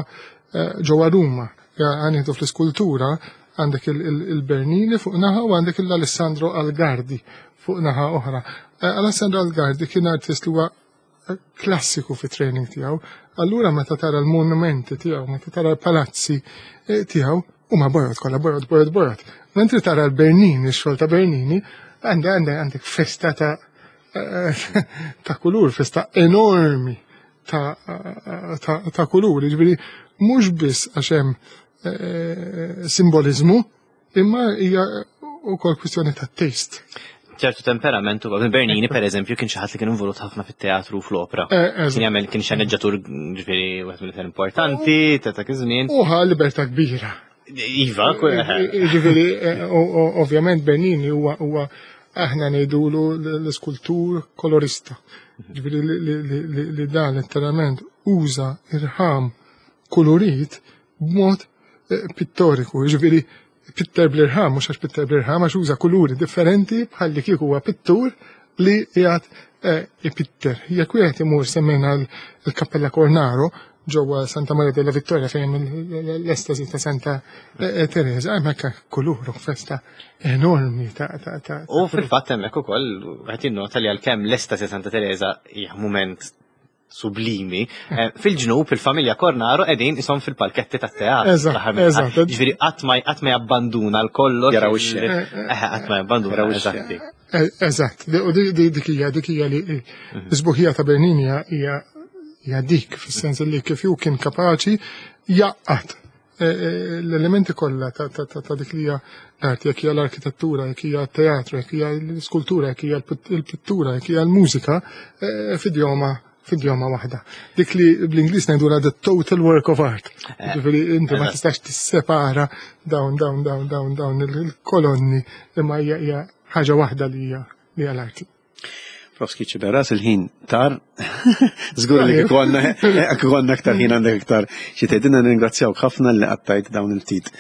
ġewwa Ruma. Għanieħdu fl-iskultura għandek il-Bernini fuq naħa u għandek l-Alessandro Algardi fuq naħa oħra. Alessandro Algardi kien artist li huwa klassiku fi training tiegħu. Allura meta tara l-monumenti tiegħu, meta tara l-palazzi tiegħu, huma bojod kollha, bojod, bojod, bojod. Mentri tara l-Bernini, x-xogħol ta' Bernini, għandek għandek festa ta' ta' kulur, festa enormi ta' ta' kulur. Ġifieri mhux biss għax hemm simbolizmu, imma hija wkoll kwistjoni ta' taste. Ċertu temperament u Bernini, per eżempju, kien xi ħadd li kien involut ħafna fit-teatru u fl-opera. Kien jagħmel, kien xeneġġatur, ġifieri wieħed mill-iktar importanti ta' dak iż-żmien. U ħa libertà kbira. Iva, ġifieri ovvjament Bernini huwa huwa aħna ngħidulu l-iskultur kolorista. Ġifieri li dan letteralment uża irħam kolorit b'mod pittoriku, ġifieri pitter bl-irħam, mhux għax pitter bl-irħam, għax uża kuluri differenti bħalli kieku huwa pittur li qiegħed ipitter. Jekk wieħed imur, semmejna l-Kappella Cornaro ġewwa Santa Maria della Vittoria, fejn l-estasi ta' Santa Teresa, hemmhekk kulur u festa enormi ta' ta' ta' U fil-fatt hemmhekk ukoll qed jinnota li għalkemm l-estasi Santa Teresa hija mument sublimi, fil-ġnub il-familja Cornaro qegħdin ishom fil-palketti tat-teatru. Eżatt, eżatt. Ġifieri qatt ma qatt ma jabbanduna l-kollox. Jaraw ix-xena. Qatt ma jabbanduna, eżatti. Eżatt, u dik hija dik hija li l-isbuħija ta' Bernini hija hija dik, fis-sens li kif hu kien kapaċi jaqgħad l-elementi kollha ta' dik li hija l-arti, jekk hija l-arkitettura, jekk hija t-teatru, jekk hija l-iskultura, jekk hija l-pittura, jekk hija l-mużika, f'idjoma f'idjoma waħda. Dik li bl-Ingliż ngħidulha the total work of art. Ġifieri inti ma tistax tissepara dawn dawn dawn dawn dawn il-kolonni, imma hija ħaġa waħda li hija li hija l-arti. Profs Sciberras, il-ħin tar. Żgur li kieku għandna aktar ħin għandek iktar xi tgħidilna. Nirringrazzjawk ħafna li qattajt dawn il-ftit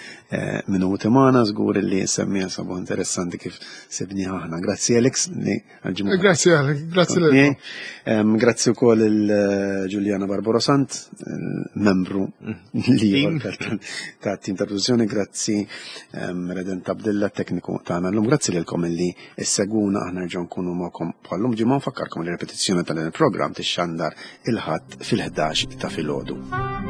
minuti magħna, żgur li semmija sabu interessanti kif sibniha aħna. Grazzi Alex li għal-ġimgħa. Grazzi Alex, grazzi lilkom. Grazzi wkoll il-Giuliana Barbaro Sant, membru li ta' tim ta' produzzjoni, grazzi Redent Abdilla, tekniku tagħna llum, grazzi lilkom li issegwuna, aħna nerġgħu nkunu magħkom bħallum ġimgħa. Nfakkarkom li repetizzjoni tal-programm tixxandar il-Ħadd fil-ħdax ta' filgħodu.